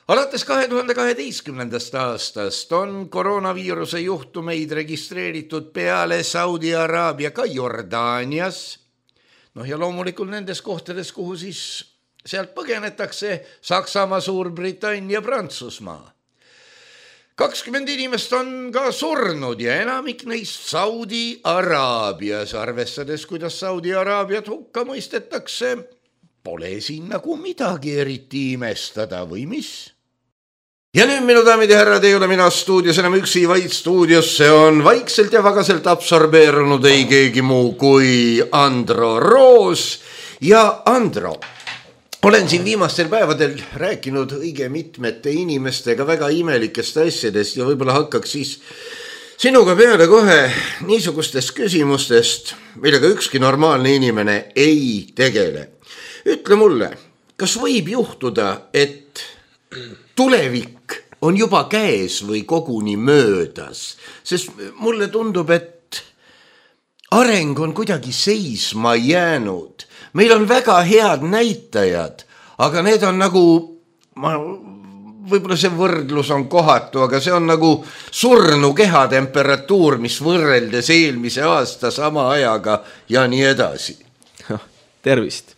Speaker 3: Alates kahe tuhande kaheteistkümnendast aastast on koroonaviiruse juhtumeid registreeritud peale Saudi Araabia ka Jordaanias. Noh ja loomulikult nendes kohtades, kuhu siis sealt põgenetakse, Saksamaa, Suurbritannia, Prantsusmaa. kakskümmend inimest on ka surnud ja enamik neist Saudi Araabias, arvestades, kuidas Saudi Araabiat hukka mõistetakse, pole siin nagu midagi eriti imestada või mis? Ja nüüd, minu daamid ja härrad, ei ole mina stuudios enam üksi, vaid stuudiosse on vaikselt ja vagaselt absorbeerunud ei keegi muu kui Andro Roos. Ja Andro, olen siin viimastel päevadel rääkinud õige mitmete inimestega väga imelikest asjadest ja võib-olla hakkaks siis sinuga peale kohe niisugustest küsimustest, millega ükski normaalne inimene ei tegele. Ütle mulle, kas võib juhtuda, et tulevik on juba käes või koguni möödas? Sest mulle tundub, et areng on kuidagi seisma jäänud. Meil on väga head näitajad, aga need on nagu, ma, võib-olla see võrdlus on kohatu, aga see on nagu surnu kehatemperatuur, mis võrreldes eelmise aasta sama ajaga ja nii edasi.
Speaker 2: Tervist.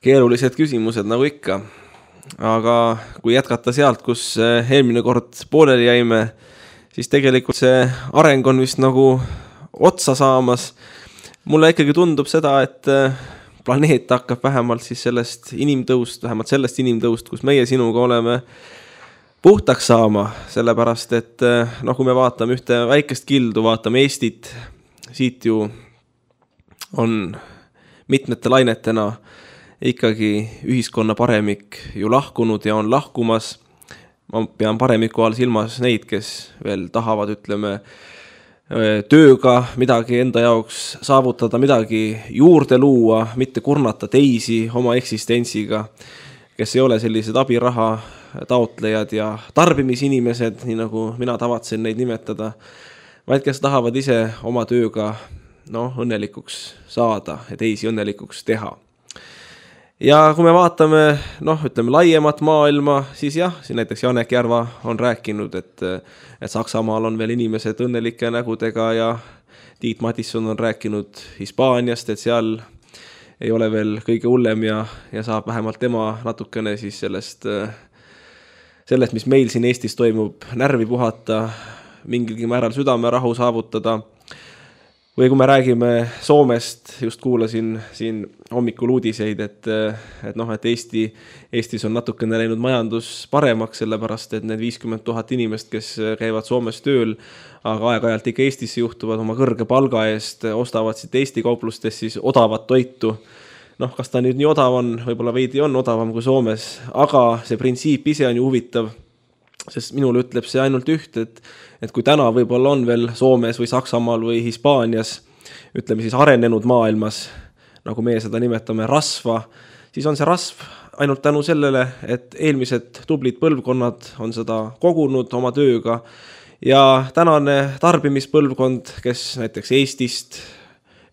Speaker 2: Keerulised küsimused nagu ikka. Aga kui jätkata sealt, kus eelmine kord pooleli jäime, siis tegelikult see areng on vist nagu otsa saamas. Mulle ikkagi tundub seda, et planeet hakkab vähemalt siis sellest inimtõust, vähemalt sellest inimtõust, kus meie sinuga oleme puhtaks saama, sellepärast, et noh, kui me vaatame ühte väikest kildu, vaatame Eestit, siit ju on mitmete lainetena ikkagi ühiskonna paremik ju lahkunud ja on lahkumas. Ma pean paremiku all silmas neid, kes veel tahavad, ütleme, tööga midagi enda jaoks saavutada, midagi juurde luua, mitte kurnata teisi oma eksistentsiga, kes ei ole sellised abiraha taotlejad ja tarbimisinimesed, nii nagu mina tavatsen neid nimetada, vaid kes tahavad ise oma tööga no, õnnelikuks saada ja teisi õnnelikuks teha. Ja kui me vaatame, noh, ütleme laiemat maailma, siis jah, siin näiteks Janek Järva on rääkinud, et, et Saksamaal on veel inimesed õnnelike nägudega ja Tiit Matisson on rääkinud Hispaaniast, et seal ei ole veel kõige hullem ja, ja saab vähemalt tema natukene siis sellest, sellest, mis meil siin Eestis toimub, närvi puhata, mingilgi määral südamerahu saavutada. Või kui me räägime Soomest, just kuulasin siin hommikul uudiseid, et, et, noh, et Eesti, Eestis on natukene läinud majandus paremaks, sellepärast et need viiskümmend tuhat inimest, kes käivad Soomes tööl, aga aeg-ajalt ikka Eestisse juhtuvad oma kõrge palga eest, ostavad siit Eesti kauplustes siis odavat toitu. Noh, kas ta nüüd nii odav on, võib-olla veidi on odavam kui Soomes, aga see printsiip ise on ju huvitav, sest minul ütleb see ainult üht, et, et kui täna võib-olla on veel Soomes või Saksamaal või Hispaanias, ütleme siis arenenud maailmas, nagu meie seda nimetame rasva, siis on see rasv ainult tänu sellele, et eelmised tublid põlvkonnad on seda kogunud oma tööga ja tänane tarbimispõlvkond, kes näiteks Eestist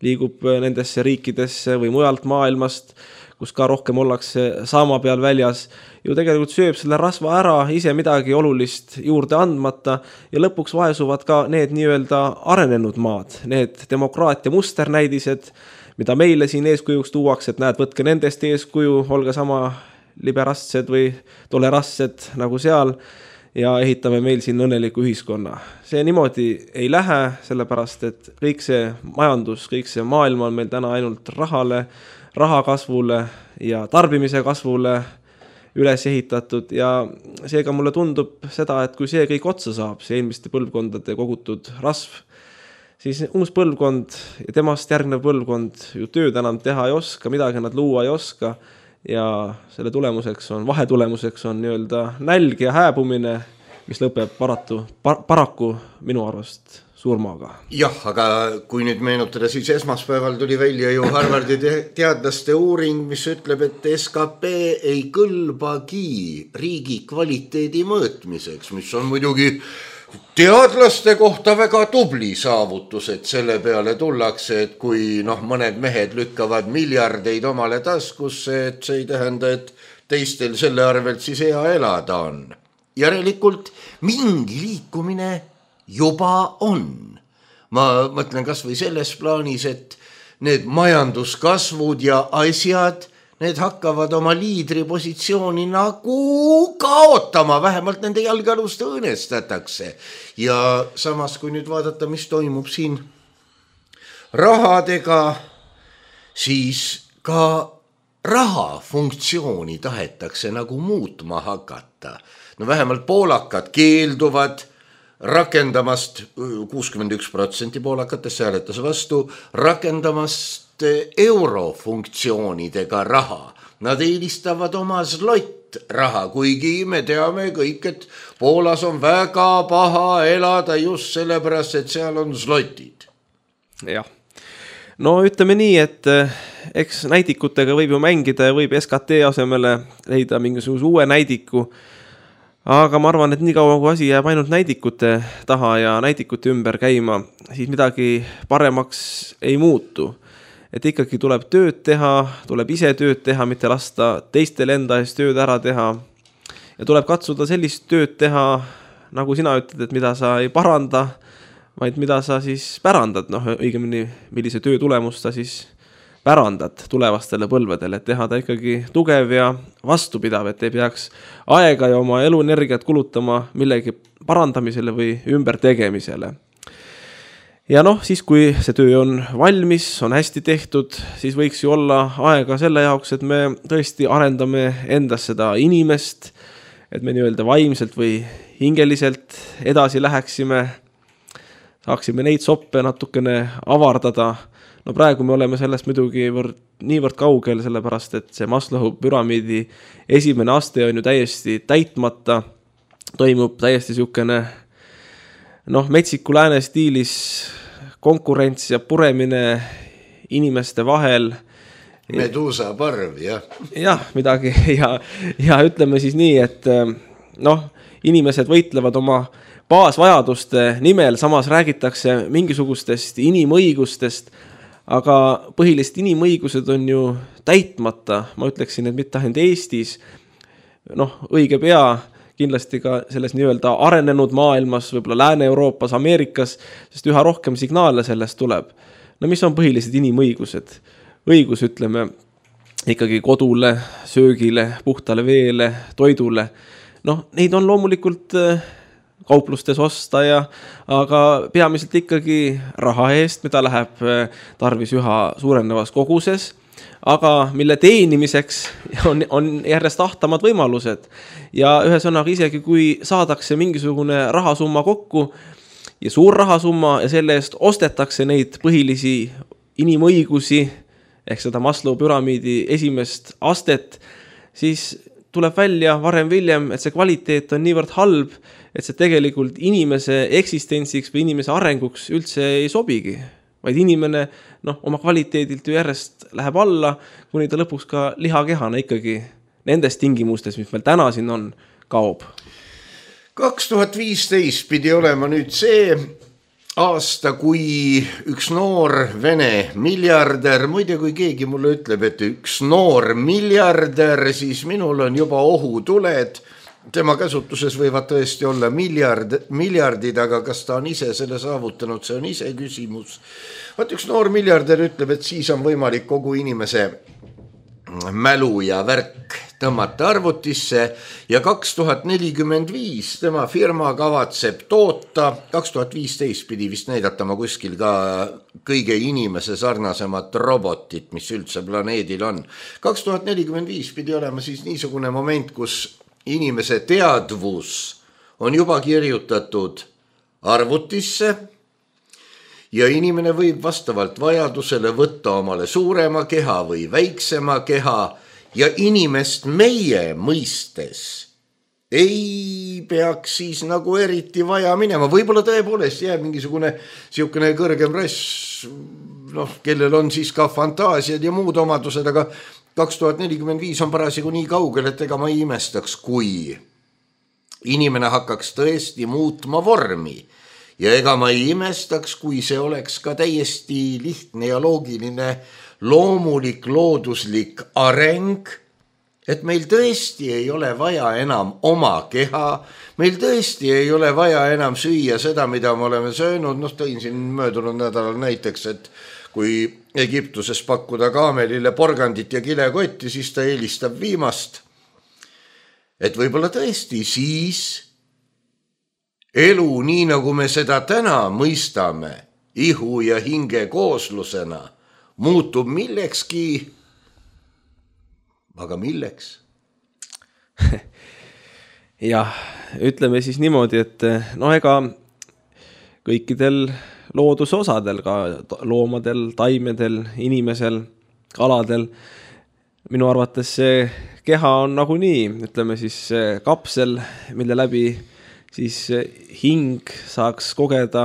Speaker 2: liigub nendesse riikidesse või mujalt maailmast, kus ka rohkem ollakse saama peal väljas, ju tegelikult sööb selle rasva ära, ise midagi olulist juurde andmata ja lõpuks vaesuvad ka need nii-öelda arenenud maad, need demokraatia musternäidised, mida meile siin eeskujuks tuuakse, et näed, võtke nendest eeskuju, olge sama liberastsed või tolerantsed nagu seal ja ehitame meil siin õnneliku ühiskonna. See niimoodi ei lähe, sellepärast et kõik see majandus, kõik see maailm on meil täna ainult rahale, raha kasvule ja tarbimise kasvule üles ehitatud ja seega mulle tundub seda, et kui see kõik otsa saab, see eelmiste põlvkondade kogutud rasv, siis uus põlvkond ja temast järgnev põlvkond ju tööd enam teha ei oska, midagi nad luua ei oska ja selle tulemuseks on, vahetulemuseks on nii-öelda nälg ja hääbumine, mis lõpeb paratu, par, paraku minu arvast surmaga.
Speaker 3: Jah, aga kui nüüd meenutada, siis esmaspäeval tuli välja ju Harvardi teadlaste uuring, mis ütleb, et S K P ei kõlbagi riigi kvaliteedi mõõtmiseks, mis on muidugi teadlaste kohta väga tubli saavutus, et selle peale tullakse, et kui noh, mõned mehed lükkavad miljardeid omale taskusse, et see ei tähenda, et teistel selle arvelt siis hea elada on. Järelikult mingi liikumine juba on. Ma mõtlen kas või selles plaanis, et need majanduskasvud ja asjad, need hakkavad oma liidripositsiooni nagu kaotama, vähemalt nende jalgealust õõnestatakse. Ja samas, kui nüüd vaadata, mis toimub siin rahadega, siis ka raha funktsiooni tahetakse nagu muutma hakata. No vähemalt poolakad keelduvad rakendamast, kuuskümmend üks protsenti poolakatest hääletas vastu, rakendamast eurofunktsioonidega raha. Nad eelistavad oma slott raha, kuigi me teame kõik, et Poolas on väga paha elada just sellepärast, et seal on slotid.
Speaker 2: Jah. No ütleme nii, et eks näidikutega võib ju mängida ja võib S K T asemele leida mingisuguse uue näidiku, aga ma arvan, et nii kaua kui asi jääb ainult näidikute taha ja näidikute ümber käima, siis midagi paremaks ei muutu. Et ikkagi tuleb tööd teha, tuleb ise tööd teha, mitte lasta teistel enda eest tööd ära teha. Ja tuleb katsuda sellist tööd teha, nagu sina ütled, et mida sa ei paranda, vaid mida sa siis pärandad, noh õigemini, millise töö tulemust sa siis pärandad tulevastele põlvedele, et teha ta ikkagi tugev ja vastupidav, et ei peaks aega ja oma eluenergiat kulutama millegi parandamisele või ümbertegemisele. Ja noh, siis kui see töö on valmis, on hästi tehtud, siis võiks ju olla aega selle jaoks, et me tõesti arendame endas seda inimest, et me nii-öelda vaimselt või hingeliselt edasi läheksime, saaksime neid soppe natukene avardada, no praegu me oleme sellest muidugi võrd, niivõrd kaugel, sellepärast et see Maslowi püramiidi esimene aste on ju täiesti täitmata, toimub täiesti siukene noh, metsiku lääne stiilis konkurents ja puremine inimeste vahel.
Speaker 3: Medusa parv, jah.
Speaker 2: jah, midagi ja, ja ütleme siis nii, et noh, inimesed võitlevad oma baasvajaduste nimel, samas räägitakse mingisugustest inimõigustest, aga põhilist inimõigused on ju täitmata, ma ütleksin, et mitte ainult Eestis, noh, õige pea, kindlasti ka selles nii-öelda arenenud maailmas, võib-olla Lääne-Euroopas, Ameerikas, sest üha rohkem signaale sellest tuleb. No mis on põhilised inimõigused? Õigus, ütleme, ikkagi kodule, söögile, puhtale veele, toidule. Noh, neid on loomulikult kauplustes osta ja, aga peamiselt ikkagi raha eest, mida läheb tarvis üha suurenevas koguses, aga mille teenimiseks on, on järjest ahtamad võimalused. Ja ühesõnaga isegi, kui saadakse mingisugune rahasumma kokku ja suur rahasumma ja selle eest ostetakse neid põhilisi inimõigusi, ehk seda Maslowi püramiidi esimest astet, siis tuleb välja varem viljem, et see kvaliteet on niivõrd halb, et see tegelikult inimese eksistentsiks või inimese arenguks üldse ei sobigi, vaid inimene noh, oma kvaliteedilt ju järjest läheb alla, kuni ta lõpuks ka lihakehana ikkagi nendes tingimustes, mis meil täna siin on, kaob.
Speaker 3: kaks tuhat viisteist pidi olema nüüd see aasta, kui üks noor Vene miljardär, muide kui keegi mulle ütleb, et üks noor miljardär, siis minul on juba ohutuled. Tema käsutuses võivad tõesti olla miljard, miljardid, aga kas ta on ise selle saavutanud, see on ise küsimus. Vaat üks noor miljardär ütleb, et siis on võimalik kogu inimese mälu ja värk tõmmata arvutisse ja kaks tuhat nelikümmend viis tema firma kavatseb toota, kaks tuhat viisteist pidi vist näidatama kuskil ka kõige inimese sarnasemat robotit, mis üldse planeedil on. kaks tuhat nelikümmend viis pidi olema siis niisugune moment, kus inimese teadvus on juba kirjutatud arvutisse ja inimene võib vastavalt vajadusele võtta omale suurema keha või väiksema keha ja inimest meie mõistes ei peaks siis nagu eriti vaja minema. Võib-olla tõepoolest jääb mingisugune siukene kõrgem rass, noh, kellel on siis ka fantaasiad ja muud omadused, aga kaks tuhat nelikümmend viis on parasjagu nii kaugel, et ega ma ei imestaks, kui inimene hakkaks tõesti muutma vormi. Ja ega ma ei imestaks, kui see oleks ka täiesti lihtne ja loogiline loomulik looduslik areng, et meil tõesti ei ole vaja enam oma keha, meil tõesti ei ole vaja enam süüa seda, mida me oleme söönud. Noh, tõin siin möödunud nädalal näiteks, et kui Egiptuses pakkuda kaamelile porgandit ja kilekotti, siis ta eelistab viimast. Et võib-olla tõesti siis elu, nii nagu me seda täna mõistame, ihu ja hinge kooslusena, muutub millekski, aga milleks?
Speaker 2: jah, ütleme siis niimoodi, et no ega kõikidel loodusosadel, ka loomadel, taimedel, inimesel, kaladel, minu arvates see keha on nagu nii, ütleme siis kapsel, mille läbi siis hing saaks kogeda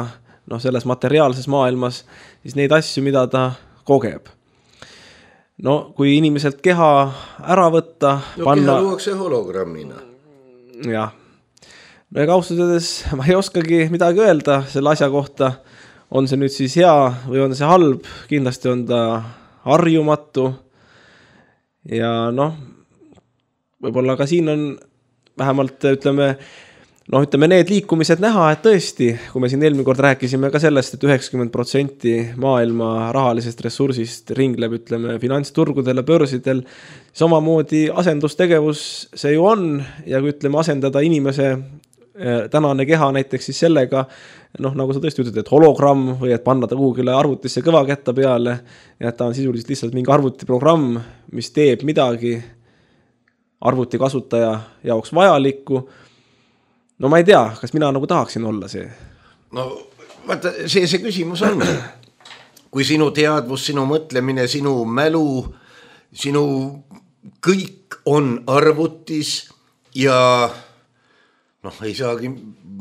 Speaker 2: noh, selles materiaalses maailmas siis neid asju, mida ta kogeb. No kui inimeselt keha ära võtta,
Speaker 3: no,
Speaker 2: panna...
Speaker 3: keha luuakse hologrammina.
Speaker 2: Jah. No ega austusõdes ma ei oskagi midagi öelda selle asja kohta. On see nüüd siis hea või on see halb? Kindlasti on ta harjumatu. Ja noh, võib-olla ka siin on vähemalt, ütleme, noh, ütleme need liikumised näha, et tõesti, kui me siin eelmine kord rääkisime ka sellest, et üheksakümmend protsenti maailma rahalisest ressursist ringleb, ütleme, finantsturgudel ja börsidel, samamoodi asendustegevus see ju on ja kui ütleme asendada inimese tänane keha näiteks siis sellega, noh, nagu sa tõesti ütled, et hologramm või et panna ta kuhugile arvutisse kõvakätta peale ja et ta on sisuliselt lihtsalt mingi arvutiprogramm, mis teeb midagi arvuti kasutaja jaoks vajalikku. No ma ei tea, kas mina nagu tahaksin olla see.
Speaker 3: No vaata, see, see küsimus on, kui sinu teadvus, sinu mõtlemine, sinu mälu, sinu kõik on arvutis ja noh, ei saagi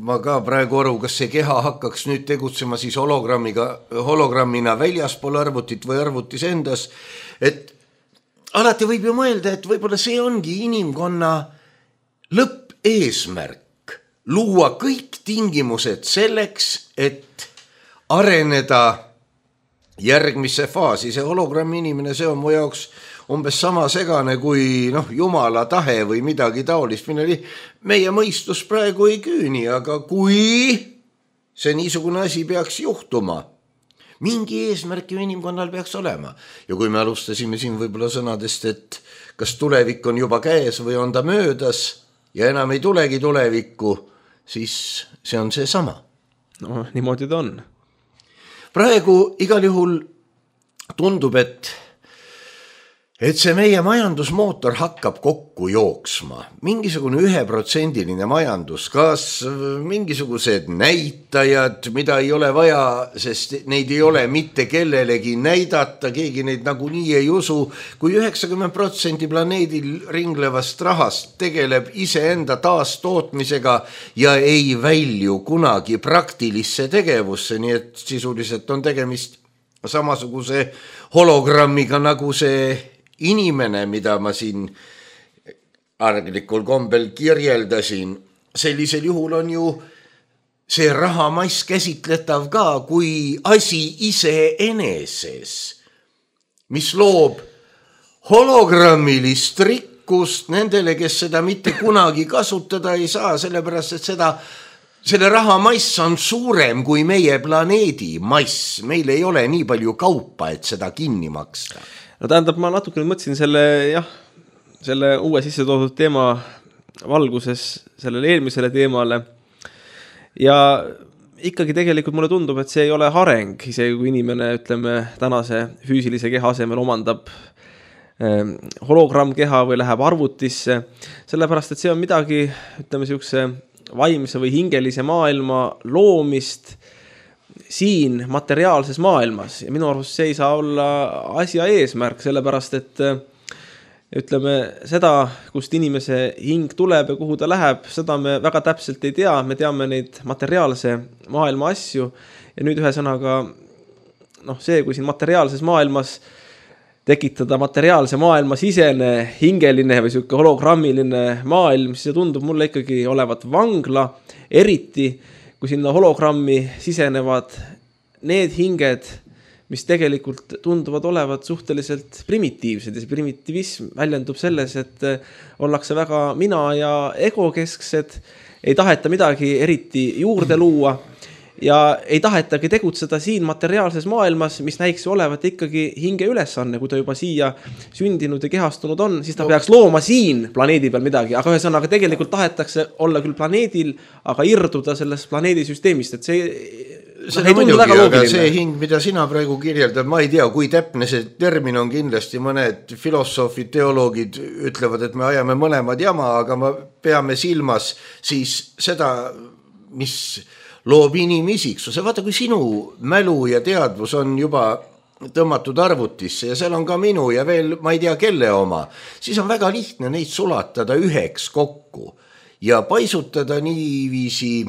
Speaker 3: ma ka praegu aru, kas see keha hakkaks nüüd tegutsema siis hologrammiga, hologrammina väljaspool arvutit või arvutis endas, et alati võib ju mõelda, et võib-olla see ongi inimkonna lõppeesmärk, luua kõik tingimused selleks, et areneda järgmisse faasi. See hologrammi inimene, see on mu jaoks umbes sama segane kui noh, jumala tahe või midagi taolist, milleni meie mõistus praegu ei küüni, aga kui see niisugune asi peaks juhtuma, mingi eesmärk ju inimkonnal peaks olema. Ja kui me alustasime siin võib-olla sõnadest, et kas tulevik on juba käes või on ta möödas ja enam ei tulegi tulevikku, siis see on see sama.
Speaker 2: No, niimoodi ta on.
Speaker 3: Praegu igal juhul tundub, et et see meie majandusmootor hakkab kokku jooksma. Mingisugune üheprotsendiline majandus, kas mingisugused näitajad, mida ei ole vaja, sest neid ei ole mitte kellelegi näidata, keegi neid nagunii ei usu, kui üheksakümmend protsenti planeedil ringlevast rahast tegeleb iseenda taastootmisega ja ei välju kunagi praktilisse tegevusse, nii et sisuliselt on tegemist samasuguse hologrammiga nagu see inimene, mida ma siin arglikul kombel kirjeldasin. Sellisel juhul on ju see rahamass käsitletav ka kui asi iseeneses, mis loob hologrammilist rikkust nendele, kes seda mitte kunagi kasutada ei saa, sellepärast et seda selle rahamass on suurem kui meie planeedi mass. Meil ei ole nii palju kaupa, et seda kinni maksta.
Speaker 2: No tähendab, ma natuke mõtlesin selle, jah, selle uue sisse toodud teema valguses sellele eelmisele teemale ja ikkagi tegelikult mulle tundub, et see ei ole areng, isegi kui inimene, ütleme, tänase füüsilise keha asemel omandab eh, hologrammkeha või läheb arvutisse, sellepärast, et see on midagi, ütleme, siukse vaimse või hingelise maailma loomist siin materiaalses maailmas ja minu arust see ei saa olla asja eesmärk, sellepärast et ütleme seda, kust inimese hing tuleb ja kuhu ta läheb, seda me väga täpselt ei tea, me teame neid materiaalse maailma asju ja nüüd ühe sõnaga noh, see, kui siin materiaalses maailmas tekitada materiaalse maailma sisene, hingeline või siuke hologrammiline maailm, siis see tundub mulle ikkagi olevat vangla, eriti kui sinna hologrammi sisenevad need hinged, mis tegelikult tunduvad olevat suhteliselt primitiivsed ja see primitivism väljendub selles, et ollakse väga mina ja egokesksed, ei taheta midagi eriti juurde luua ja ei tahetagi tegutseda siin materiaalses maailmas, mis näiks olevat ikkagi hinge ülesanne, kui ta juba siia sündinud ja kehastunud on, siis ta no. peaks looma siin planeedi peal midagi, aga ühesõnaga tegelikult tahetakse olla küll planeedil, aga irduda sellest planeedisüsteemist, et see,
Speaker 3: see ei tundu väga loogiline. See hing, mida sina praegu kirjeldad, ma ei tea, kui täpne see termin on, kindlasti mõned filosoofid, teoloogid ütlevad, et me ajame mõlemad jama, aga me peame silmas siis seda, mis loob inimisiksuse. Vaata, kui sinu mälu ja teadvus on juba tõmmatud arvutisse ja seal on ka minu ja veel ma ei tea kelle oma, siis on väga lihtne neid sulatada üheks kokku ja paisutada niiviisi,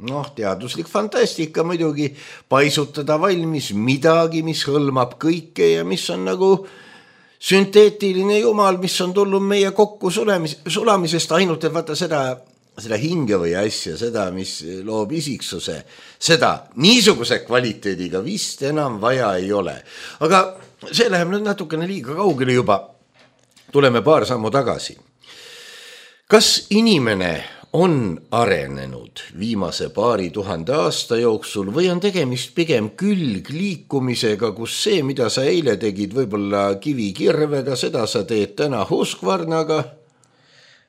Speaker 3: noh, teaduslik fantastika muidugi, paisutada valmis midagi, mis hõlmab kõike ja mis on nagu sünteetiline jumal, mis on tulnud meie kokku sulemis, sulamisest, ainult et vaata seda seda hinge või asja, seda, mis loob isiksuse, seda niisuguse kvaliteediga vist enam vaja ei ole. Aga see läheb nüüd natukene liiga kaugele juba. Tuleme paar sammu tagasi. Kas inimene on arenenud viimase paari tuhande aasta jooksul või on tegemist pigem külgliikumisega, kus see, mida sa eile tegid võib-olla kivikirvega, seda sa teed täna Husqvarnaga?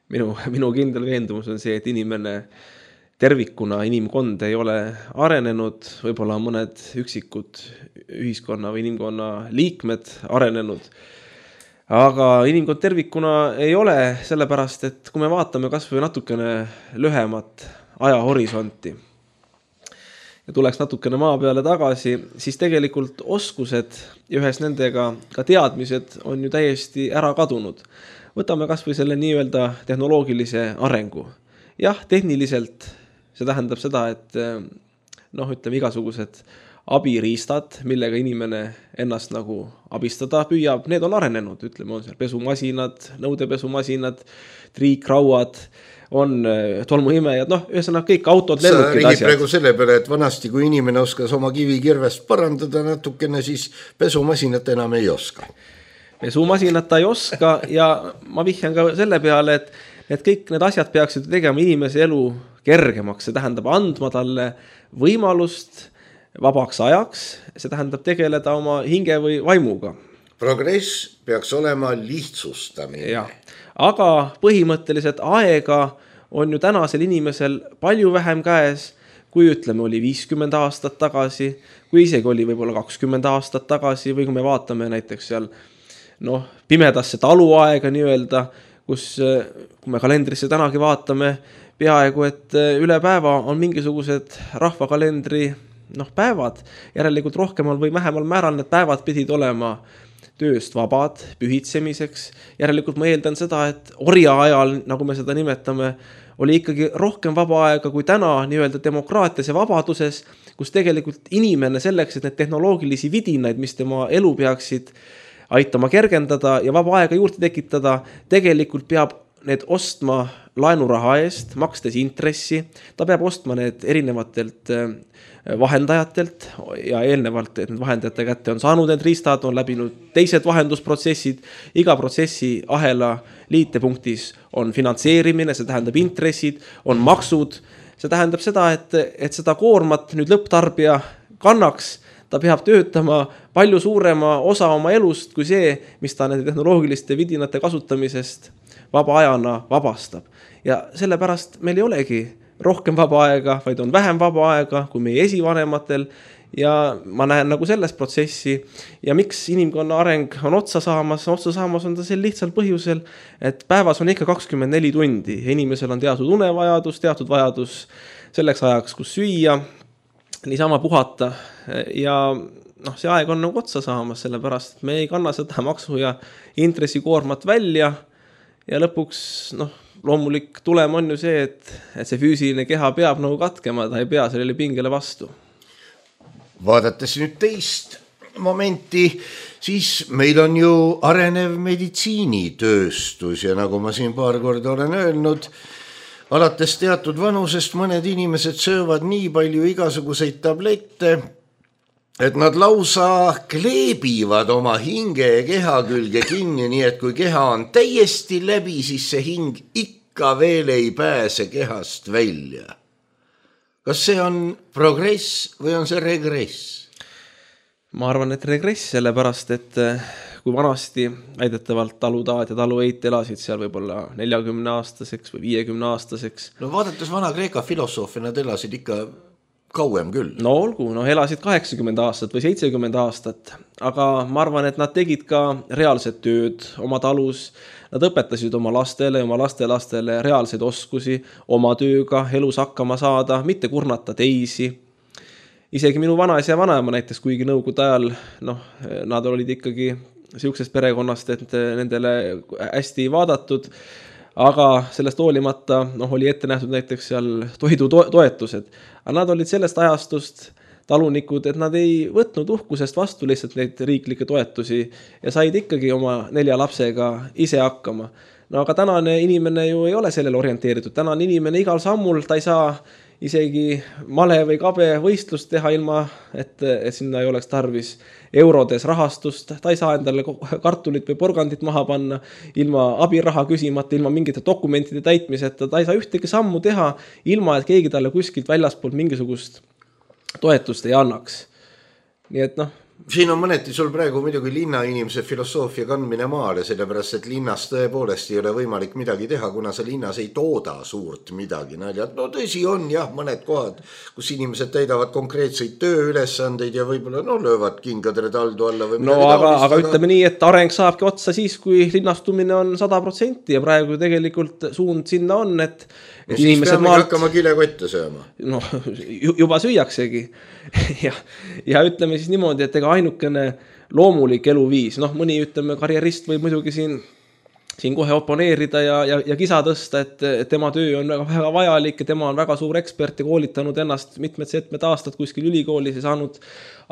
Speaker 2: Minu, minu kindel veendumus on see, et inimene tervikuna, inimkond ei ole arenenud, võib-olla mõned üksikud ühiskonna või inimkonna liikmed arenenud, aga inimkond tervikuna ei ole, sellepärast, et kui me vaatame kas või natukene lühemat ajahorisonti ja tuleks natukene maa peale tagasi, siis tegelikult oskused ja ühes nendega ka teadmised on ju täiesti ära kadunud. Võtame kas või selle nii-öelda tehnoloogilise arengu. Jah, tehniliselt see tähendab seda, et noh, ütleme igasugused abiriistad, millega inimene ennast nagu abistada püüab, need on arenenud, ütleme, on seal pesumasinad, nõudepesumasinad, triikrauad, on tolmuimejad, noh, ühesõnaga kõik autod, lennukid, asjad.
Speaker 3: Sa praegu selle peale, et vanasti, kui inimene oskas oma kivikirvest parandada natukene, siis pesumasinat enam ei oska.
Speaker 2: Pesumasinat ta ei oska ja ma vihjan ka selle peale, et, et kõik need asjad peaksid tegema inimese elu kergemaks, see tähendab andma talle võimalust vabaks ajaks, see tähendab tegeleda oma hinge või vaimuga.
Speaker 3: Progress peaks olema lihtsustamine.
Speaker 2: Ja. Aga põhimõtteliselt aega on ju tänasel inimesel palju vähem käes, kui ütleme oli viiskümmend aastat tagasi, kui isegi oli võib-olla kakskümmend aastat tagasi või kui me vaatame näiteks seal noh, pimedasse taluaega nii-öelda, kus kui me kalendrisse tänagi vaatame, peaaegu et üle päeva on mingisugused rahvakalendri noh, päevad, järelikult rohkemal või vähemal määral need päevad pidid olema tööst vabad, pühitsemiseks. Järelikult ma eeldan seda, et orja ajal, nagu me seda nimetame, oli ikkagi rohkem vaba aega kui täna nii-öelda demokraatias ja vabaduses, kus tegelikult inimene selleks, et need tehnoloogilisi vidinaid, mis tema elu peaksid aitama kergendada ja vaba aega juurde tekitada, tegelikult peab need ostma laenuraha eest, makstes intressi, ta peab ostma need erinevatelt vahendajatelt ja eelnevalt, et need vahendajate kätte on saanud need riistad, on läbinud teised vahendusprotsessid, iga protsessi ahela liitepunktis on finantseerimine, see tähendab intressid, on maksud, see tähendab seda, et, et seda koormat nüüd lõpptarbija kannaks, ta peab töötama palju suurema osa oma elust kui see, mis ta nende tehnoloogiliste vidinate kasutamisest vaba ajana vabastab. Ja sellepärast meil ei olegi rohkem vaba aega, vaid on vähem vaba aega kui meie esivanematel ja ma näen nagu selles protsessi ja miks inimkonna areng on otsa saamas, otsa saamas on ta sel lihtsal põhjusel, et päevas on ikka kakskümmend neli tundi ja inimesel on teatud unevajadus, teatud vajadus selleks ajaks, kus süüa, niisama puhata ja noh, see aeg on nagu otsa saamas, sellepärast et me ei kanna seda maksu ja intressikoormat välja ja lõpuks noh, loomulik tulem on ju see, et, et see füüsiline keha peab nagu katkema, ta ei pea sellele pingele vastu.
Speaker 3: Vaadates nüüd teist momenti, siis meil on ju arenev meditsiinitööstus ja nagu ma siin paar korda olen öelnud, alates teatud vanusest mõned inimesed söövad nii palju igasuguseid tablette, et nad lausa kleebivad oma hinge ja keha külge kinni, nii et kui keha on täiesti läbi, siis see hing ikka veel ei pääse kehast välja. Kas see on progress või on see regress?
Speaker 2: Ma arvan, et regress, sellepärast, et kui vanasti väidetavalt talutaad ja talueit elasid seal võib-olla neljakümne aastaseks või viiekümne aastaseks.
Speaker 3: No vaadates vana Kreeka filosoofi, nad elasid ikka kauem küll.
Speaker 2: No olgu, no elasid kaheksakümmend aastat või seitsekümmend aastat, aga ma arvan, et nad tegid ka reaalset tööd oma talus, nad õpetasid oma lastele, oma lastelastele reaalseid oskusi oma tööga elus hakkama saada, mitte kurnata teisi. Isegi minu vanaisa ja vanaema näiteks, kuigi nõukogude ajal, noh, nad olid ikkagi siuksest perekonnast, et nendele hästi vaadatud, aga sellest hoolimata noh, oli ette nähtud näiteks seal toidu toetused. Aga nad olid sellest ajastust talunikud, et nad ei võtnud uhkusest vastu lihtsalt neid riiklikke toetusi ja said ikkagi oma nelja lapsega ise hakkama. No aga tänane inimene ju ei ole sellele orienteeritud. Tänane inimene igal sammul, ta ei saa isegi male või kabe võistlust teha ilma, et, et sinna ei oleks tarvis eurodes rahastust. Ta ei saa endale kartulit või porgandit maha panna ilma abiraha küsimata, ilma mingite dokumentide täitmiseta. Ta ei saa ühtegi sammu teha ilma, et keegi talle kuskilt väljaspoolt mingisugust toetust ei annaks. Nii et noh,
Speaker 3: siin on mõneti sul praegu muidugi linnainimese filosoofia kandmine maale, sellepärast et linnas tõepoolest ei ole võimalik midagi teha, kuna sa linnas ei tooda suurt midagi. No tõsi on jah, mõned kohad, kus inimesed täidavad konkreetseid tööülesandeid ja võib-olla no, löövad kingadele taldu alla. Või
Speaker 2: no aga, taolist, aga ütleme nii, et areng saabki otsa siis, kui linnastumine on sada protsenti ja praegu tegelikult suund sinna on, et
Speaker 3: et no siis peame maalt... hakkama kilekotte sööma.
Speaker 2: No juba süüaksegi ja, ja ütleme siis niimoodi, et ega ainukene loomulik eluviis, noh mõni ütleme karjerist võib muidugi siin, siin kohe oponeerida ja, ja, ja kisa tõsta, et, et tema töö on väga, väga vajalik ja tema on väga suur ekspert ja koolitanud ennast mitmed-setmed aastad kuskil ülikoolis ja saanud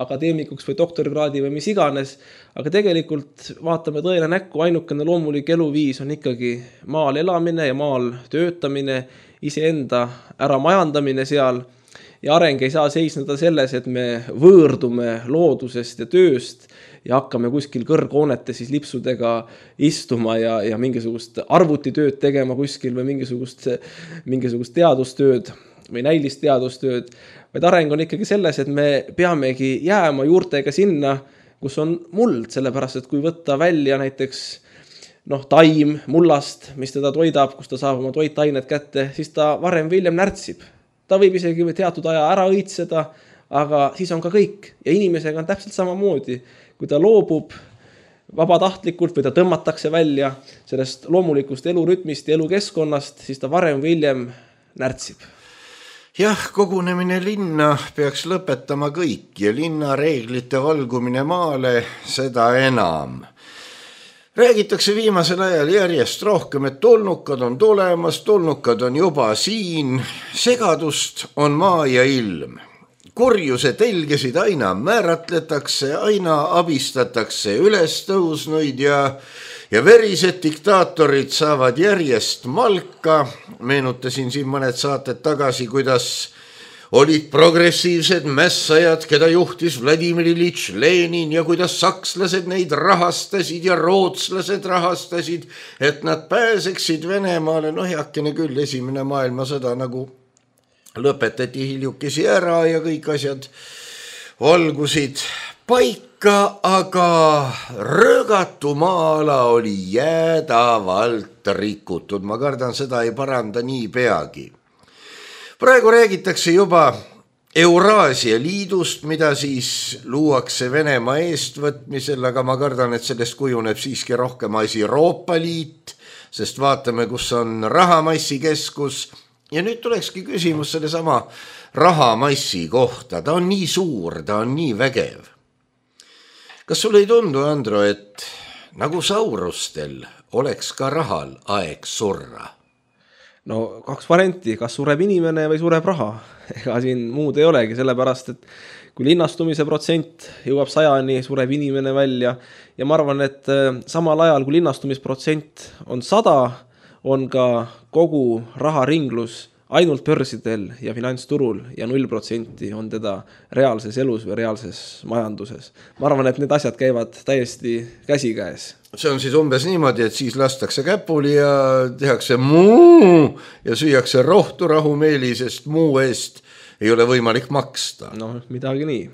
Speaker 2: akadeemikuks või doktorikraadi või mis iganes, aga tegelikult vaatame tõele näkku, ainukene loomulik eluviis on ikkagi maal elamine ja maal töötamine, iseenda ära majandamine seal ja areng ei saa seisneda selles, et me võõrdume loodusest ja tööst ja hakkame kuskil kõrghoonete siis lipsudega istuma ja, ja mingisugust arvutitööd tegema kuskil või mingisugust, mingisugust teadustööd või näilist teadustööd, vaid areng on ikkagi selles, et me peamegi jääma juurtega sinna, kus on muld, sellepärast et kui võtta välja näiteks noh, taim mullast, mis teda toidab, kus ta saab oma toitained kätte, siis ta varem või hiljem närtsib. Ta võib isegi teatud aja ära õitseda, aga siis on ka kõik. Ja inimesega on täpselt samamoodi. Kui ta loobub vabatahtlikult või ta tõmmatakse välja sellest loomulikust elurütmist ja elukeskkonnast, siis ta varem või hiljem närtsib.
Speaker 3: Jah, kogunemine linna peaks lõpetama kõik ja linna reeglite valgumine maale seda enam. Räägitakse viimasel ajal järjest rohkem, et tulnukad on tulemas, tulnukad on juba siin, segadust on maa ja ilm. Kurjuse telgesid aina määratletakse, aina abistatakse üles tõusnuid ja, ja verised diktaatorid saavad järjest malka. Meenutasin siin mõned saated tagasi, kuidas olid progressiivsed mässajad, keda juhtis Vladimir Iljitš Lenin ja kuidas sakslased neid rahastasid ja rootslased rahastasid, et nad pääseksid Venemaale. No heakene küll, esimene maailmasõda nagu lõpetati hiljukesi ära ja kõik asjad valgusid paika, aga röögatu maa-ala oli jäädavalt rikutud. Ma kardan, seda ei paranda nii peagi. Praegu räägitakse juba Euraasia liidust, mida siis luuakse Venemaa eestvõtmisel, aga ma kardan, et sellest kujuneb siiski rohkem asi Euroopa Liit, sest vaatame, kus on rahamassi keskus. Ja nüüd tulekski küsimus selle sama rahamassi kohta. Ta on nii suur, ta on nii vägev. Kas sul ei tundu, Andro, et nagu saurustel oleks ka rahal aeg surra?
Speaker 2: No kaks varianti, kas sureb inimene või sureb raha. Ega siin muud ei olegi, sellepärast, et kui linnastumise protsent jõuab sajani, sureb inimene välja. Ja ma arvan, et samal ajal, kui linnastumisprotsent on sada, on ka kogu raharinglus ainult börsidel ja finantsturul ja null protsenti on teda reaalses elus või reaalses majanduses. Ma arvan, et need asjad käivad täiesti käsikäes.
Speaker 3: See on siis umbes niimoodi, et siis lastakse käpuli ja tehakse muu ja süüakse rohtu rahumeeli, sest muu eest ei ole võimalik maksta.
Speaker 2: No, midagi nii.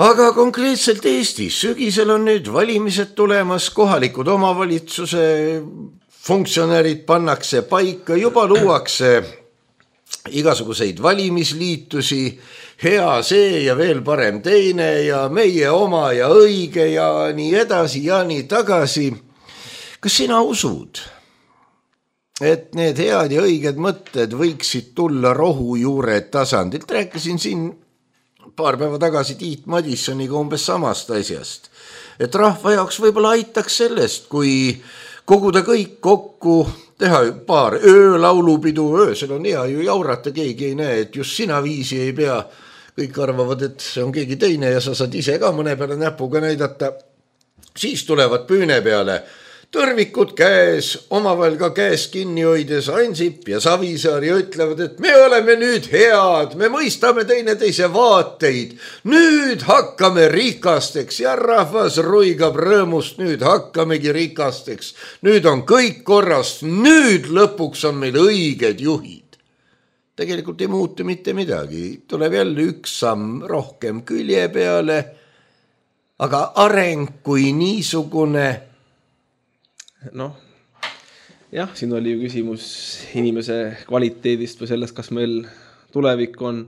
Speaker 3: Aga konkreetselt Eestis sügisel on nüüd valimised tulemas, kohalikud omavalitsuse funktsionäärid pannakse paika, juba luuakse igasuguseid valimisliitusi, hea see ja veel parem teine ja meie oma ja õige ja nii edasi ja nii tagasi. Kas sina usud, et need head ja õiged mõtted võiksid tulla rohujuure tasandilt? Rääkisin siin paar päeva tagasi Tiit Madissoniga umbes samast asjast, et rahva jaoks võib-olla aitaks sellest, kui koguda kõik kokku, teha paar öölaulupidu, öösel on hea ju jaurata, keegi ei näe, et just sina viisi ei pea. Kõik arvavad, et see on keegi teine ja sa saad ise ka mõne peale näpuga näidata. Siis tulevad püüne peale tõrvikud käes, omavahel ka käes kinni hoides Ansip ja Savisaar ja ütlevad, et me oleme nüüd head, me mõistame teineteise vaateid, nüüd hakkame rikasteks ja rahvas ruigab rõõmust, nüüd hakkamegi rikasteks, nüüd on kõik korrast, nüüd lõpuks on meil õiged juhid. Tegelikult ei muutu mitte midagi, tuleb jälle üks samm rohkem külje peale aga areng kui niisugune?
Speaker 2: Noh, jah, siin oli ju küsimus inimese kvaliteedist või sellest, kas meil tulevik on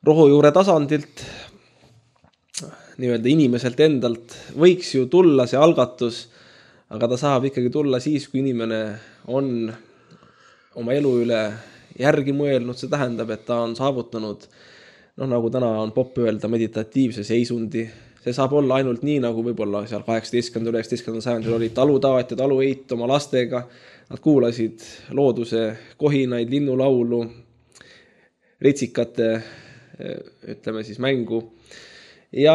Speaker 2: rohujuure tasandilt, nii-öelda inimeselt endalt. Võiks ju tulla see algatus, aga ta saab ikkagi tulla siis, kui inimene on oma elu üle järgi mõelnud. See tähendab, et ta on saavutanud, noh, nagu täna on popp öelda, meditatiivse seisundi. See saab olla ainult nii, nagu võib-olla seal kaheksateistkümnendal üheksateistkümnendal sajandil oli talutaat ja talueit oma lastega. Nad kuulasid looduse kohinaid, linnulaulu, ritsikate, ütleme siis mängu ja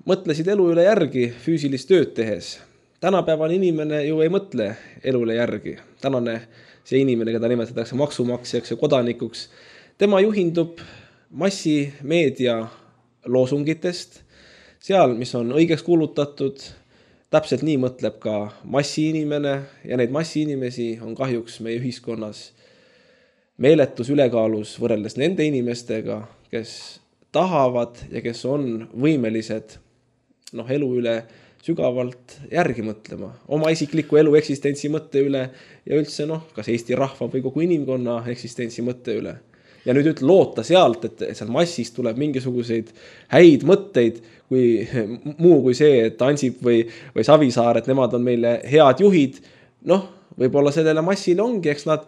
Speaker 2: mõtlesid elu üle järgi füüsilist tööd tehes. Tänapäevane inimene ju ei mõtle elu üle järgi. Tänane see inimene, keda nimetatakse maksumaksjaks ja kodanikuks, tema juhindub massimeedia loosungitest, seal, mis on õigeks kuulutatud, täpselt nii mõtleb ka massiinimene ja neid massiinimesi on kahjuks meie ühiskonnas meeletus ülekaalus võrreldes nende inimestega, kes tahavad ja kes on võimelised noh, elu üle sügavalt järgi mõtlema, oma isikliku elu eksistentsi mõtte üle ja üldse noh, kas Eesti rahva või kogu inimkonna eksistentsi mõtte üle. Ja nüüd ütle loota sealt, et seal massist tuleb mingisuguseid häid mõtteid, kui muu kui see, et Ansip või, või Savisaar, et nemad on meile head juhid. Noh, võib-olla sellele massile ongi, eks nad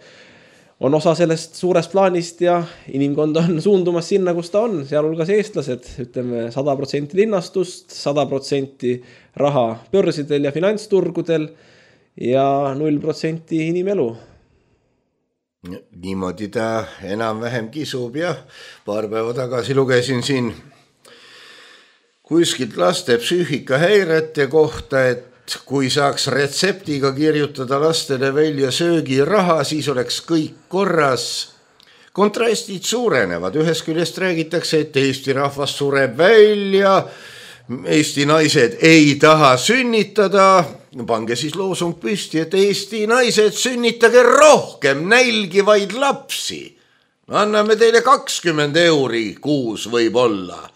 Speaker 2: on osa sellest suurest plaanist ja inimkond on suundumas sinna, kus ta on, sealhulgas eestlased, ütleme sada protsenti linnastust, sada protsenti raha börsidel ja finantsturgudel ja null protsenti inimelu.
Speaker 3: Niimoodi ta enam-vähem kisub ja paar päeva tagasi lugesin siin kuskilt laste psüühikahäirete kohta, et kui saaks retseptiga kirjutada lastele välja söögiraha, siis oleks kõik korras. Kontrastid suurenevad, ühest küljest räägitakse, et Eesti rahvas sureb välja, Eesti naised ei taha sünnitada, pange siis loosung püsti, et Eesti naised sünnitage rohkem nälgivaid lapsi. Anname teile kakskümmend euri kuus võib-olla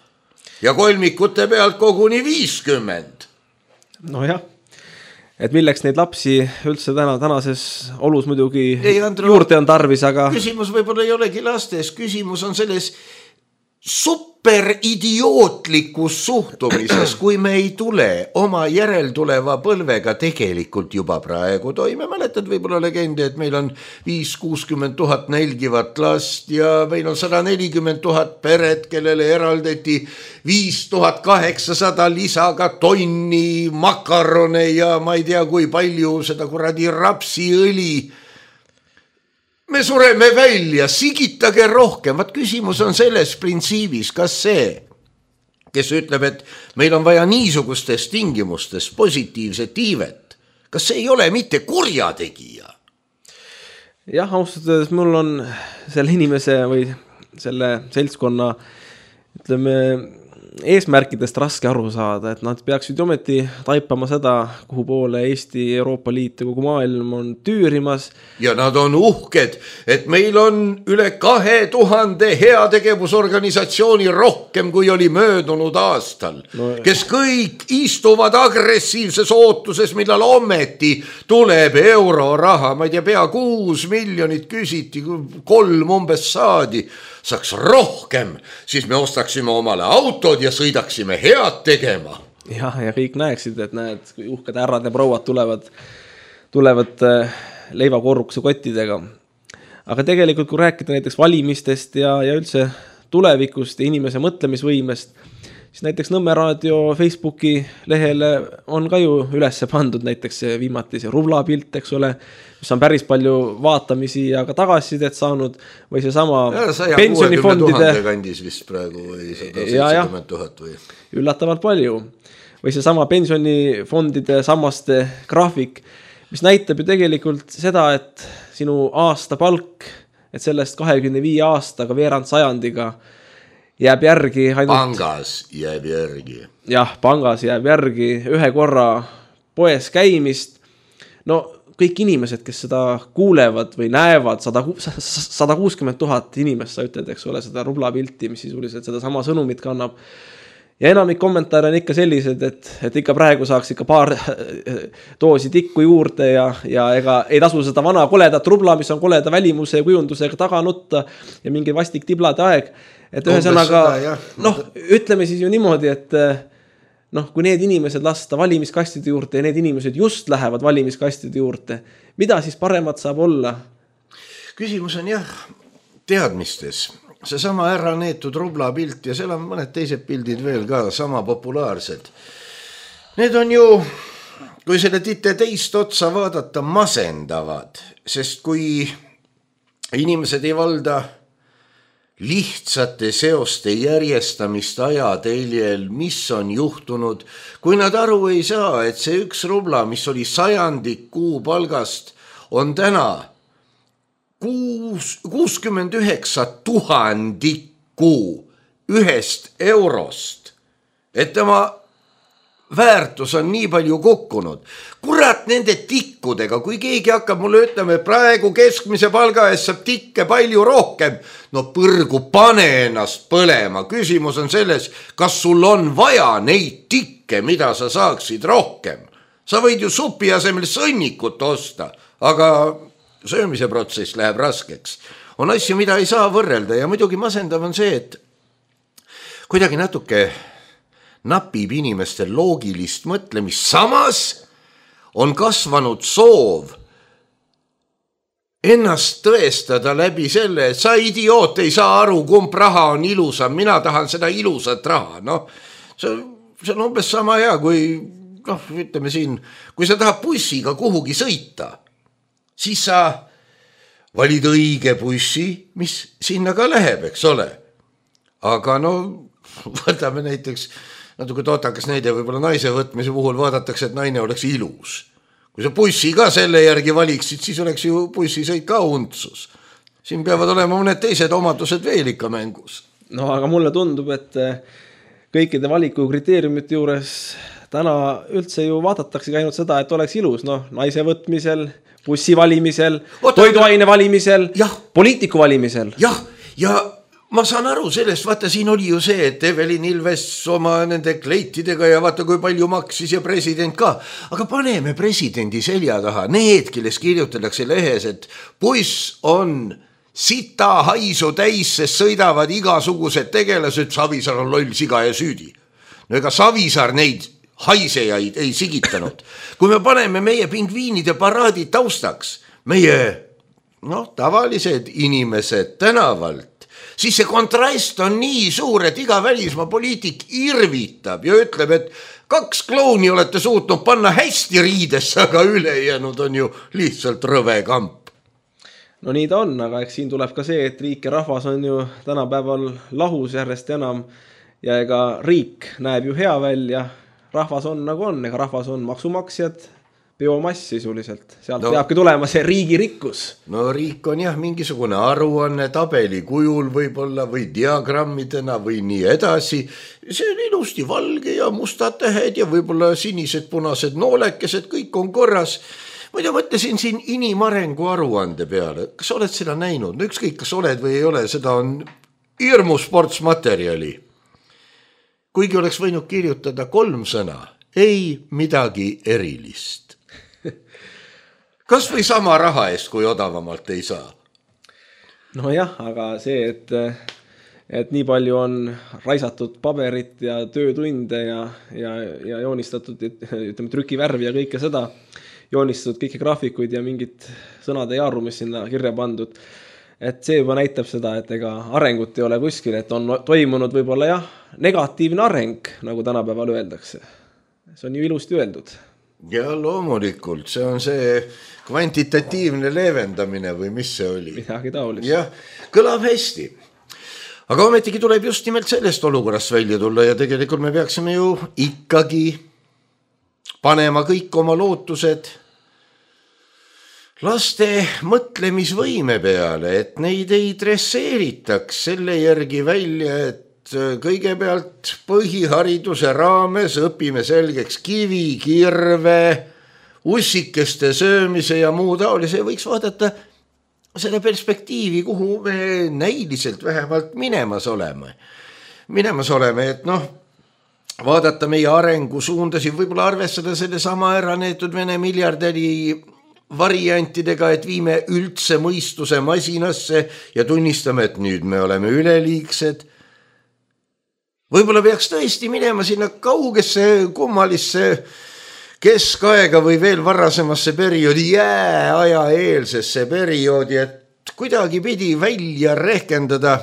Speaker 3: ja kolmikute pealt koguni viiskümmend.
Speaker 2: No jah, et milleks neid lapsi üldse täna, tänases olus muidugi ei, Andru, juurde on tarvis, aga...
Speaker 3: Küsimus võib-olla ei olegi lastes, küsimus on selles superidiootlikus suhtumises, kui me ei tule oma järeltuleva põlvega tegelikult juba praegu toime. Mäletad võib-olla legendi, et meil on viis kuuskümmend tuhat nälgivat last ja meil on sada nelikümmend tuhat peret, kellele eraldati viis tuhat kaheksasada lisaga tonni makarone ja ma ei tea, kui palju seda kuradi rapsiõli. Me sureme välja, sigitage rohkem. Vaat küsimus on selles printsiibis, kas see, kes ütleb, et meil on vaja niisugustes tingimustes positiivset iivet, kas see ei ole mitte kurjategija?
Speaker 2: Jah, austades, mul on selle inimese või selle seltskonna, ütleme, eesmärkidest raske aru saada, et nad peaksid ometi taipama seda, kuhu poole Eesti, Euroopa Liit ja kogu maailm on tüürimas.
Speaker 3: Ja nad on uhked, et meil on üle kahe tuhande heategevusorganisatsiooni rohkem, kui oli möödunud aastal, no, kes kõik istuvad agressiivses ootuses, millal ometi tuleb euroraha, ma ei tea, pea kuus miljonit küsiti, kolm umbes saadi, saaks rohkem, siis me ostaksime omale autod ja sõidaksime head tegema.
Speaker 2: Ja, ja kõik näeksid, et näed, kui uhked härrad ja prouad tulevad, tulevad leivakorrukse kottidega. Aga tegelikult, kui rääkida näiteks valimistest ja, ja üldse tulevikust ja inimese mõtlemisvõimest, siis näiteks Nõmme Raadio Facebooki lehele on ka ju üles pandud näiteks viimati see rubla pilt, eks ole, mis on päris palju vaatamisi ja ka tagasisidet saanud või see sama pensionifondide
Speaker 3: kandis vist praegu või sada seitsekümmend tuhat või
Speaker 2: üllatavalt palju või see sama pensionifondide sammaste graafik, mis näitab ju tegelikult seda, et sinu aasta palk, et sellest kahekümne viie aastaga veerand sajandiga jääb järgi ainult...
Speaker 3: Pangas jääb järgi.
Speaker 2: Jah, pangas jääb järgi ühe korra poes käimist. No kõik inimesed, kes seda kuulevad või näevad, sada kuuskümmend tuhat inimest, sa ütled, eks ole, seda rubla pilti, mis sisuliselt seda sama sõnumit kannab. ja enamik kommentaare on ikka sellised, et, et ikka praegu saaks ikka paar doosi tikku juurde ja, ja ega ei tasu seda vana koledat rubla, mis on koleda välimuse ja kujundusega taga nutta ja mingi vastik tiblade aeg. Et ühesõnaga, noh, ütleme siis ju niimoodi, et noh, kui need inimesed lasta valimiskastide juurde ja need inimesed just lähevad valimiskastide juurde, mida siis paremat saab olla?
Speaker 3: Küsimus on jah, teadmistes. See sama ära neetud rubla pilt ja seal on mõned teised pildid veel ka sama populaarsed. Need on ju, kui selle tite teist otsa vaadata, masendavad, sest kui inimesed ei valda lihtsate seoste järjestamist ajateljel, mis on juhtunud, kui nad aru ei saa, et see üks rubla, mis oli sajandik kuu palgast, on täna kuuskümmend üheksa tuhandikku ühest eurost, et tema väärtus on nii palju kukkunud. Kurat nende tikkudega, kui keegi hakkab mulle ütlema, et praegu keskmise palga eest saab tikke palju rohkem, no põrgu pane ennast põlema. Küsimus on selles, kas sul on vaja neid tikke, mida sa saaksid rohkem. Sa võid ju supi asemel sõnnikut osta, aga söömise protsess läheb raskeks. On asju, mida ei saa võrrelda ja muidugi masendav on see, et kuidagi natuke napib inimestel loogilist mõtlemist. Samas on kasvanud soov ennast tõestada läbi selle, et sa idioot ei saa aru, kumb raha on ilusam, mina tahan seda ilusat raha. No, see, see on umbes sama hea, kui, noh, ütleme siin, kui sa tahad bussiga kuhugi sõita, siis sa valid õige bussi, mis sinna ka läheb, eks ole. Aga no, võtame näiteks, natuke tootakas näide, võib-olla naise võtmise puhul vaadatakse, et naine oleks ilus. Kui sa bussi ka selle järgi valiksid, siis oleks ju bussisõit ka untsus. Siin peavad olema mõned teised omadused veel ikka mängus.
Speaker 2: No aga mulle tundub, et kõikide valiku kriteeriumite juures täna üldse ju vaadatakse ainult seda, et oleks ilus, noh, naise võtmisel, bussi valimisel, toiduaine valimisel, jah, poliitiku valimisel.
Speaker 3: Jah, ja ma saan aru sellest, vaata siin oli ju see, et Evelin Ilves oma nende kleitidega ja vaata kui palju maksis ja president ka. Aga paneme presidendi selja taha, need, kelles kirjutatakse lehes, et buss on sita haisu täis, sest sõidavad igasugused tegelased, Savisaar on loll siga ja süüdi. No ega Savisaar neid haisejaid ei sigitanud. Kui me paneme meie pingviinide paraadid taustaks, meie noh, tavalised inimesed tänavalt, siis see kontrast on nii suur, et iga välismaa poliitik irvitab ja ütleb, et kaks klouni olete suutnud panna hästi riidesse, aga ülejäänud on ju lihtsalt rõve kamp.
Speaker 2: No nii ta on, aga eks siin tuleb ka see, et riik ja rahvas on ju tänapäeval lahus järjest enam ja ega riik näeb ju hea välja, rahvas on nagu on, ega rahvas on maksumaksjad, biomass sisuliselt. Sealt no, peabki tulema see riigi rikkus.
Speaker 3: No riik on jah mingisugune aruanne tabeli kujul võib-olla või diagrammidena või nii edasi. See on ilusti valge ja mustad tähed ja võib-olla sinised punased noolekesed, kõik on korras. Muidu mõtlesin siin inimarengu aruande peale. Kas oled seda näinud? No ükskõik, kas oled või ei ole, seda on hirmu sportsmaterjali. Kuigi oleks võinud kirjutada kolm sõna, ei midagi erilist. Kas või sama raha eest, kui odavamalt ei saa?
Speaker 2: No jah, aga see, et, et nii palju on raisatud paberit ja töötunde ja, ja, ja joonistatud, ütleme, trükivärvi ja kõike seda, joonistatud kõiki graafikuid ja mingit sõnade jaaru, mis sinna kirja pandud. Et see juba näitab seda, et ega arengut ei ole kuskil, et on toimunud võib-olla jah, negatiivne areng, nagu tänapäeval öeldakse. See on ju ilusti öeldud.
Speaker 3: Ja loomulikult, see on see kvantitatiivne leevendamine või mis see oli?
Speaker 2: Midagi taolist.
Speaker 3: Jah, kõlab hästi. Aga ometigi tuleb just nimelt sellest olukorrast välja tulla ja tegelikult me peaksime ju ikkagi panema kõik oma lootused laste mõtlemisvõime peale, et neid ei dresseeritaks selle järgi välja, et kõigepealt põhihariduse raames õpime selgeks kivi, kirve, ussikeste söömise ja muu taolise. Võiks vaadata selle perspektiivi, kuhu me näiliselt vähemalt minemas oleme. Minemas oleme, et noh, vaadata meie arengusuundasid, võib-olla arvestada selle sama ära neetud Vene miljardäri variantidega, et viime üldse mõistuse masinasse ja tunnistame, et nüüd me oleme üleliigsed. Võib-olla peaks tõesti minema sinna kaugesse kummalisse keskaega või veel varasemasse perioodi, jääaja eelsesse perioodi, et kuidagi pidi välja rehkendada,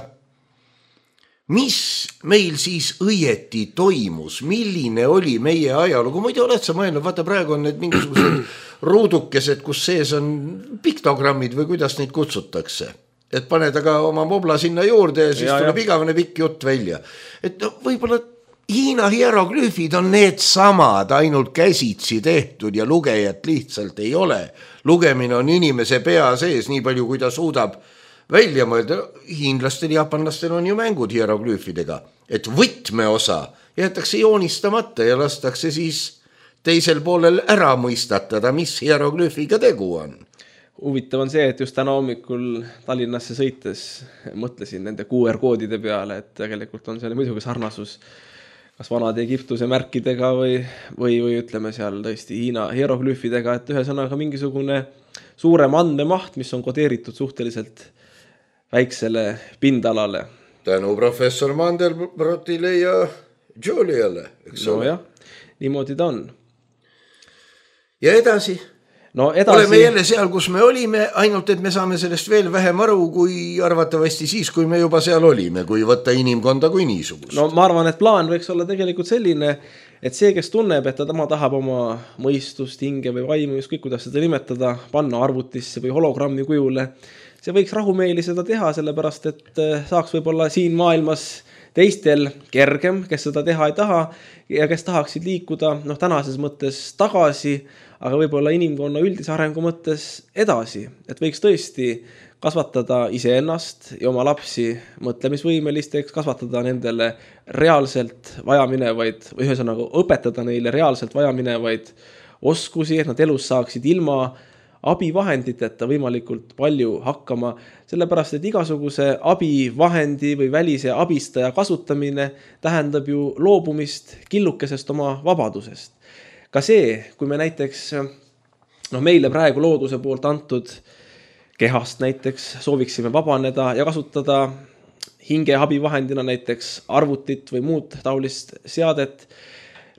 Speaker 3: mis meil siis õieti toimus, milline oli meie ajalugu. Muidu oled sa mõelnud, vaata praegu on need mingisugused ruudukesed, kus sees on piktogrammid või kuidas neid kutsutakse. Et paned aga oma mobla sinna juurde ja siis ja, tuleb ja. igavene pikk jutt välja. Et no, võib-olla Hiina hieroglüüfid on need samad, ainult käsitsi tehtud ja lugejat lihtsalt ei ole. Lugemine on inimese pea sees nii palju, kui ta suudab välja mõelda. Hiinlastel ja japanlastel on ju mängud hieroglüüfidega, et võtmeosa jäetakse joonistamata ja lastakse siis teisel poolel ära mõistatada, mis hieroglüüfiga tegu on.
Speaker 2: Huvitav on see, et just täna hommikul Tallinnasse sõites mõtlesin nende Q R-koodide peale, et tegelikult on seal muidugi sarnasus kas vanade Egiptuse märkidega või, või, või ütleme seal tõesti Hiina hieroglüüfidega, et ühesõnaga mingisugune suurem andmemaht, mis on kodeeritud suhteliselt väiksele pindalale.
Speaker 3: Tänu professor Mandelbrotile ja Juliale, eks
Speaker 2: no
Speaker 3: ole?
Speaker 2: Jah, niimoodi ta on.
Speaker 3: Ja edasi?
Speaker 2: No edasi...
Speaker 3: Oleme jälle seal, kus me olime, ainult et me saame sellest veel vähem aru, kui arvatavasti siis, kui me juba seal olime, kui võtta inimkonda kui niisugust.
Speaker 2: No ma arvan, et plaan võiks olla tegelikult selline, et see, kes tunneb, et ta tema tahab oma mõistust, hinge või vaimu, ükskõik kuidas seda nimetada, panna arvutisse või hologrammi kujule, see võiks rahumeeli seda teha, sellepärast et saaks võib-olla siin maailmas teistel kergem, kes seda teha ei taha ja kes tahaksid liikuda noh, tänases mõttes tagasi, aga võib-olla inimkonna üldise arengu mõttes edasi, et võiks tõesti kasvatada iseennast ja oma lapsi mõtlemisvõimelisteks, kasvatada nendele reaalselt vajaminevaid, või ühesõnaga õpetada neile reaalselt vajaminevaid oskusi, et nad elus saaksid ilma abivahenditeta võimalikult palju hakkama, sellepärast, et igasuguse abivahendi või välise abistaja kasutamine tähendab ju loobumist killukesest oma vabadusest. Ka see, kui me näiteks no meile praegu looduse poolt antud kehast näiteks sooviksime vabaneda ja kasutada hinge abivahendina näiteks arvutit või muud taolist seadet,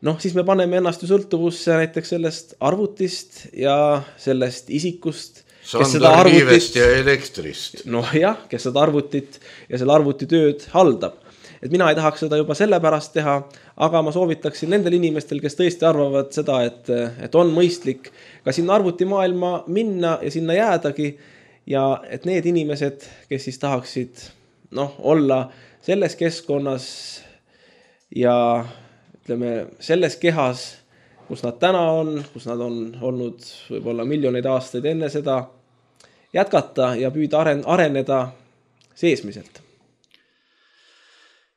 Speaker 2: noh, siis me paneme ennast ju sõltuvusse näiteks sellest arvutist ja sellest isikust, kes seda arvutit
Speaker 3: ja elektrist.
Speaker 2: noh jah, kes seda arvutit ja selle arvuti tööd haldab. Et mina ei tahaks seda juba sellepärast teha, aga ma soovitaksin nendel inimestel, kes tõesti arvavad seda, et, et on mõistlik ka sinna arvutimaailma minna ja sinna jäädagi ja et need inimesed, kes siis tahaksid noh, olla selles keskkonnas ja ütleme, selles kehas, kus nad täna on, kus nad on olnud võib-olla miljoneid aastaid enne seda, jätkata ja püüda aren- areneda seesmiselt.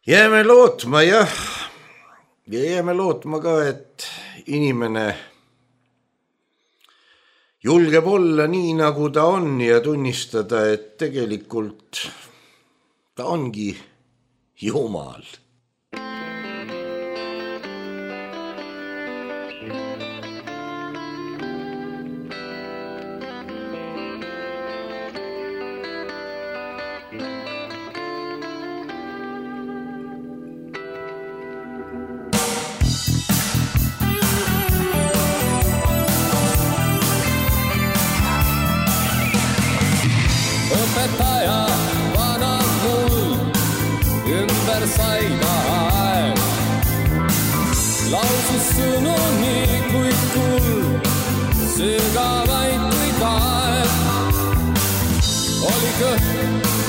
Speaker 3: Jääme lootma, jah. Ja jääme lootma ka, et inimene julgeb olla nii, nagu ta on ja tunnistada, et tegelikult ta ongi Jumal.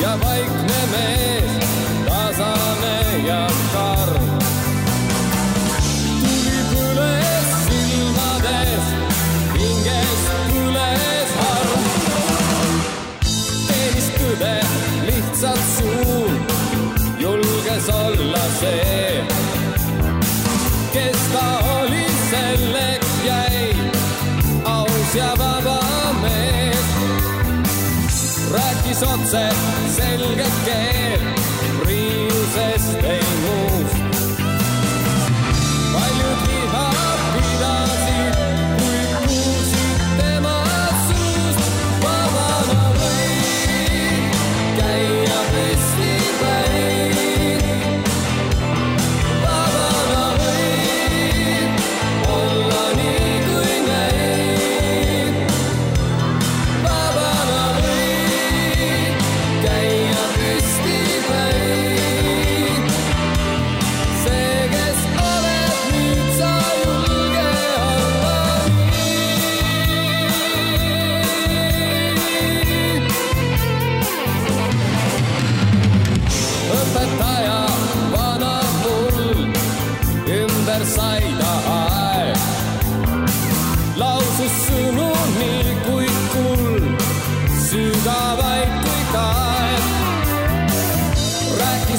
Speaker 4: Ja vaikne mees, tasane ja karm. Tuli põles silmades, hinges põles harm. Teenis tõde lihtsalt suun, julges olla see, kes ta oli, selleks jäi, aus ja vaba mees. Rääkis otse selget keel, riiusest ei muust.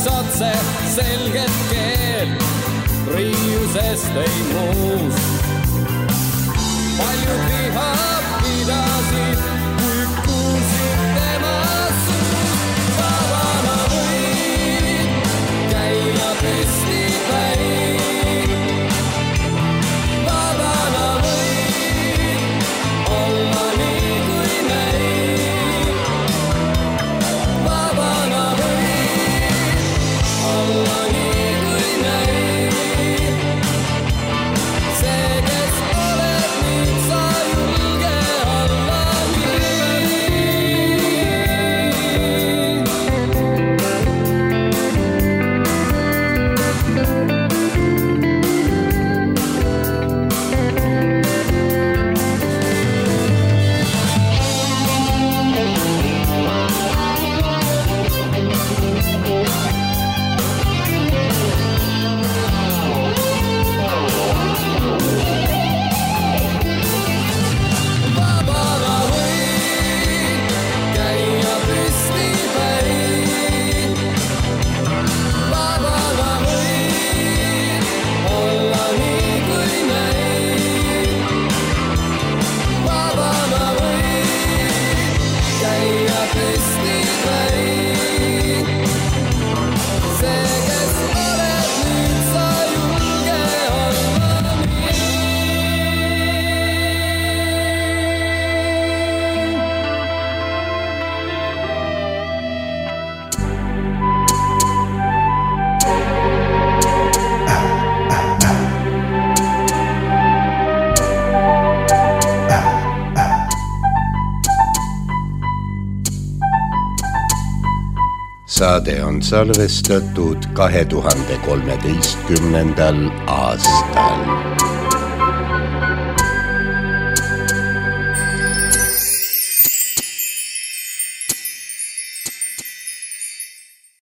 Speaker 4: rääkis otse selget keelt, riiusest ei muus. Paljud liha pidasid, kui kuulsid tema suus. Vabana võid käia püsti päin. Vabana võid olla nii kui näin. Vabana võid olla nii kui näin. See, kes oled nüüd, sa julge olla nii. Vabana võid käia püsti päin. Vabana võid olla nii kui näin. Vabana võid käia püsti päin. See, kes oled nüüd, sa julge olla nii.
Speaker 3: Saade on salvestatud kahe tuhande kolmeteistkümnendal aastal.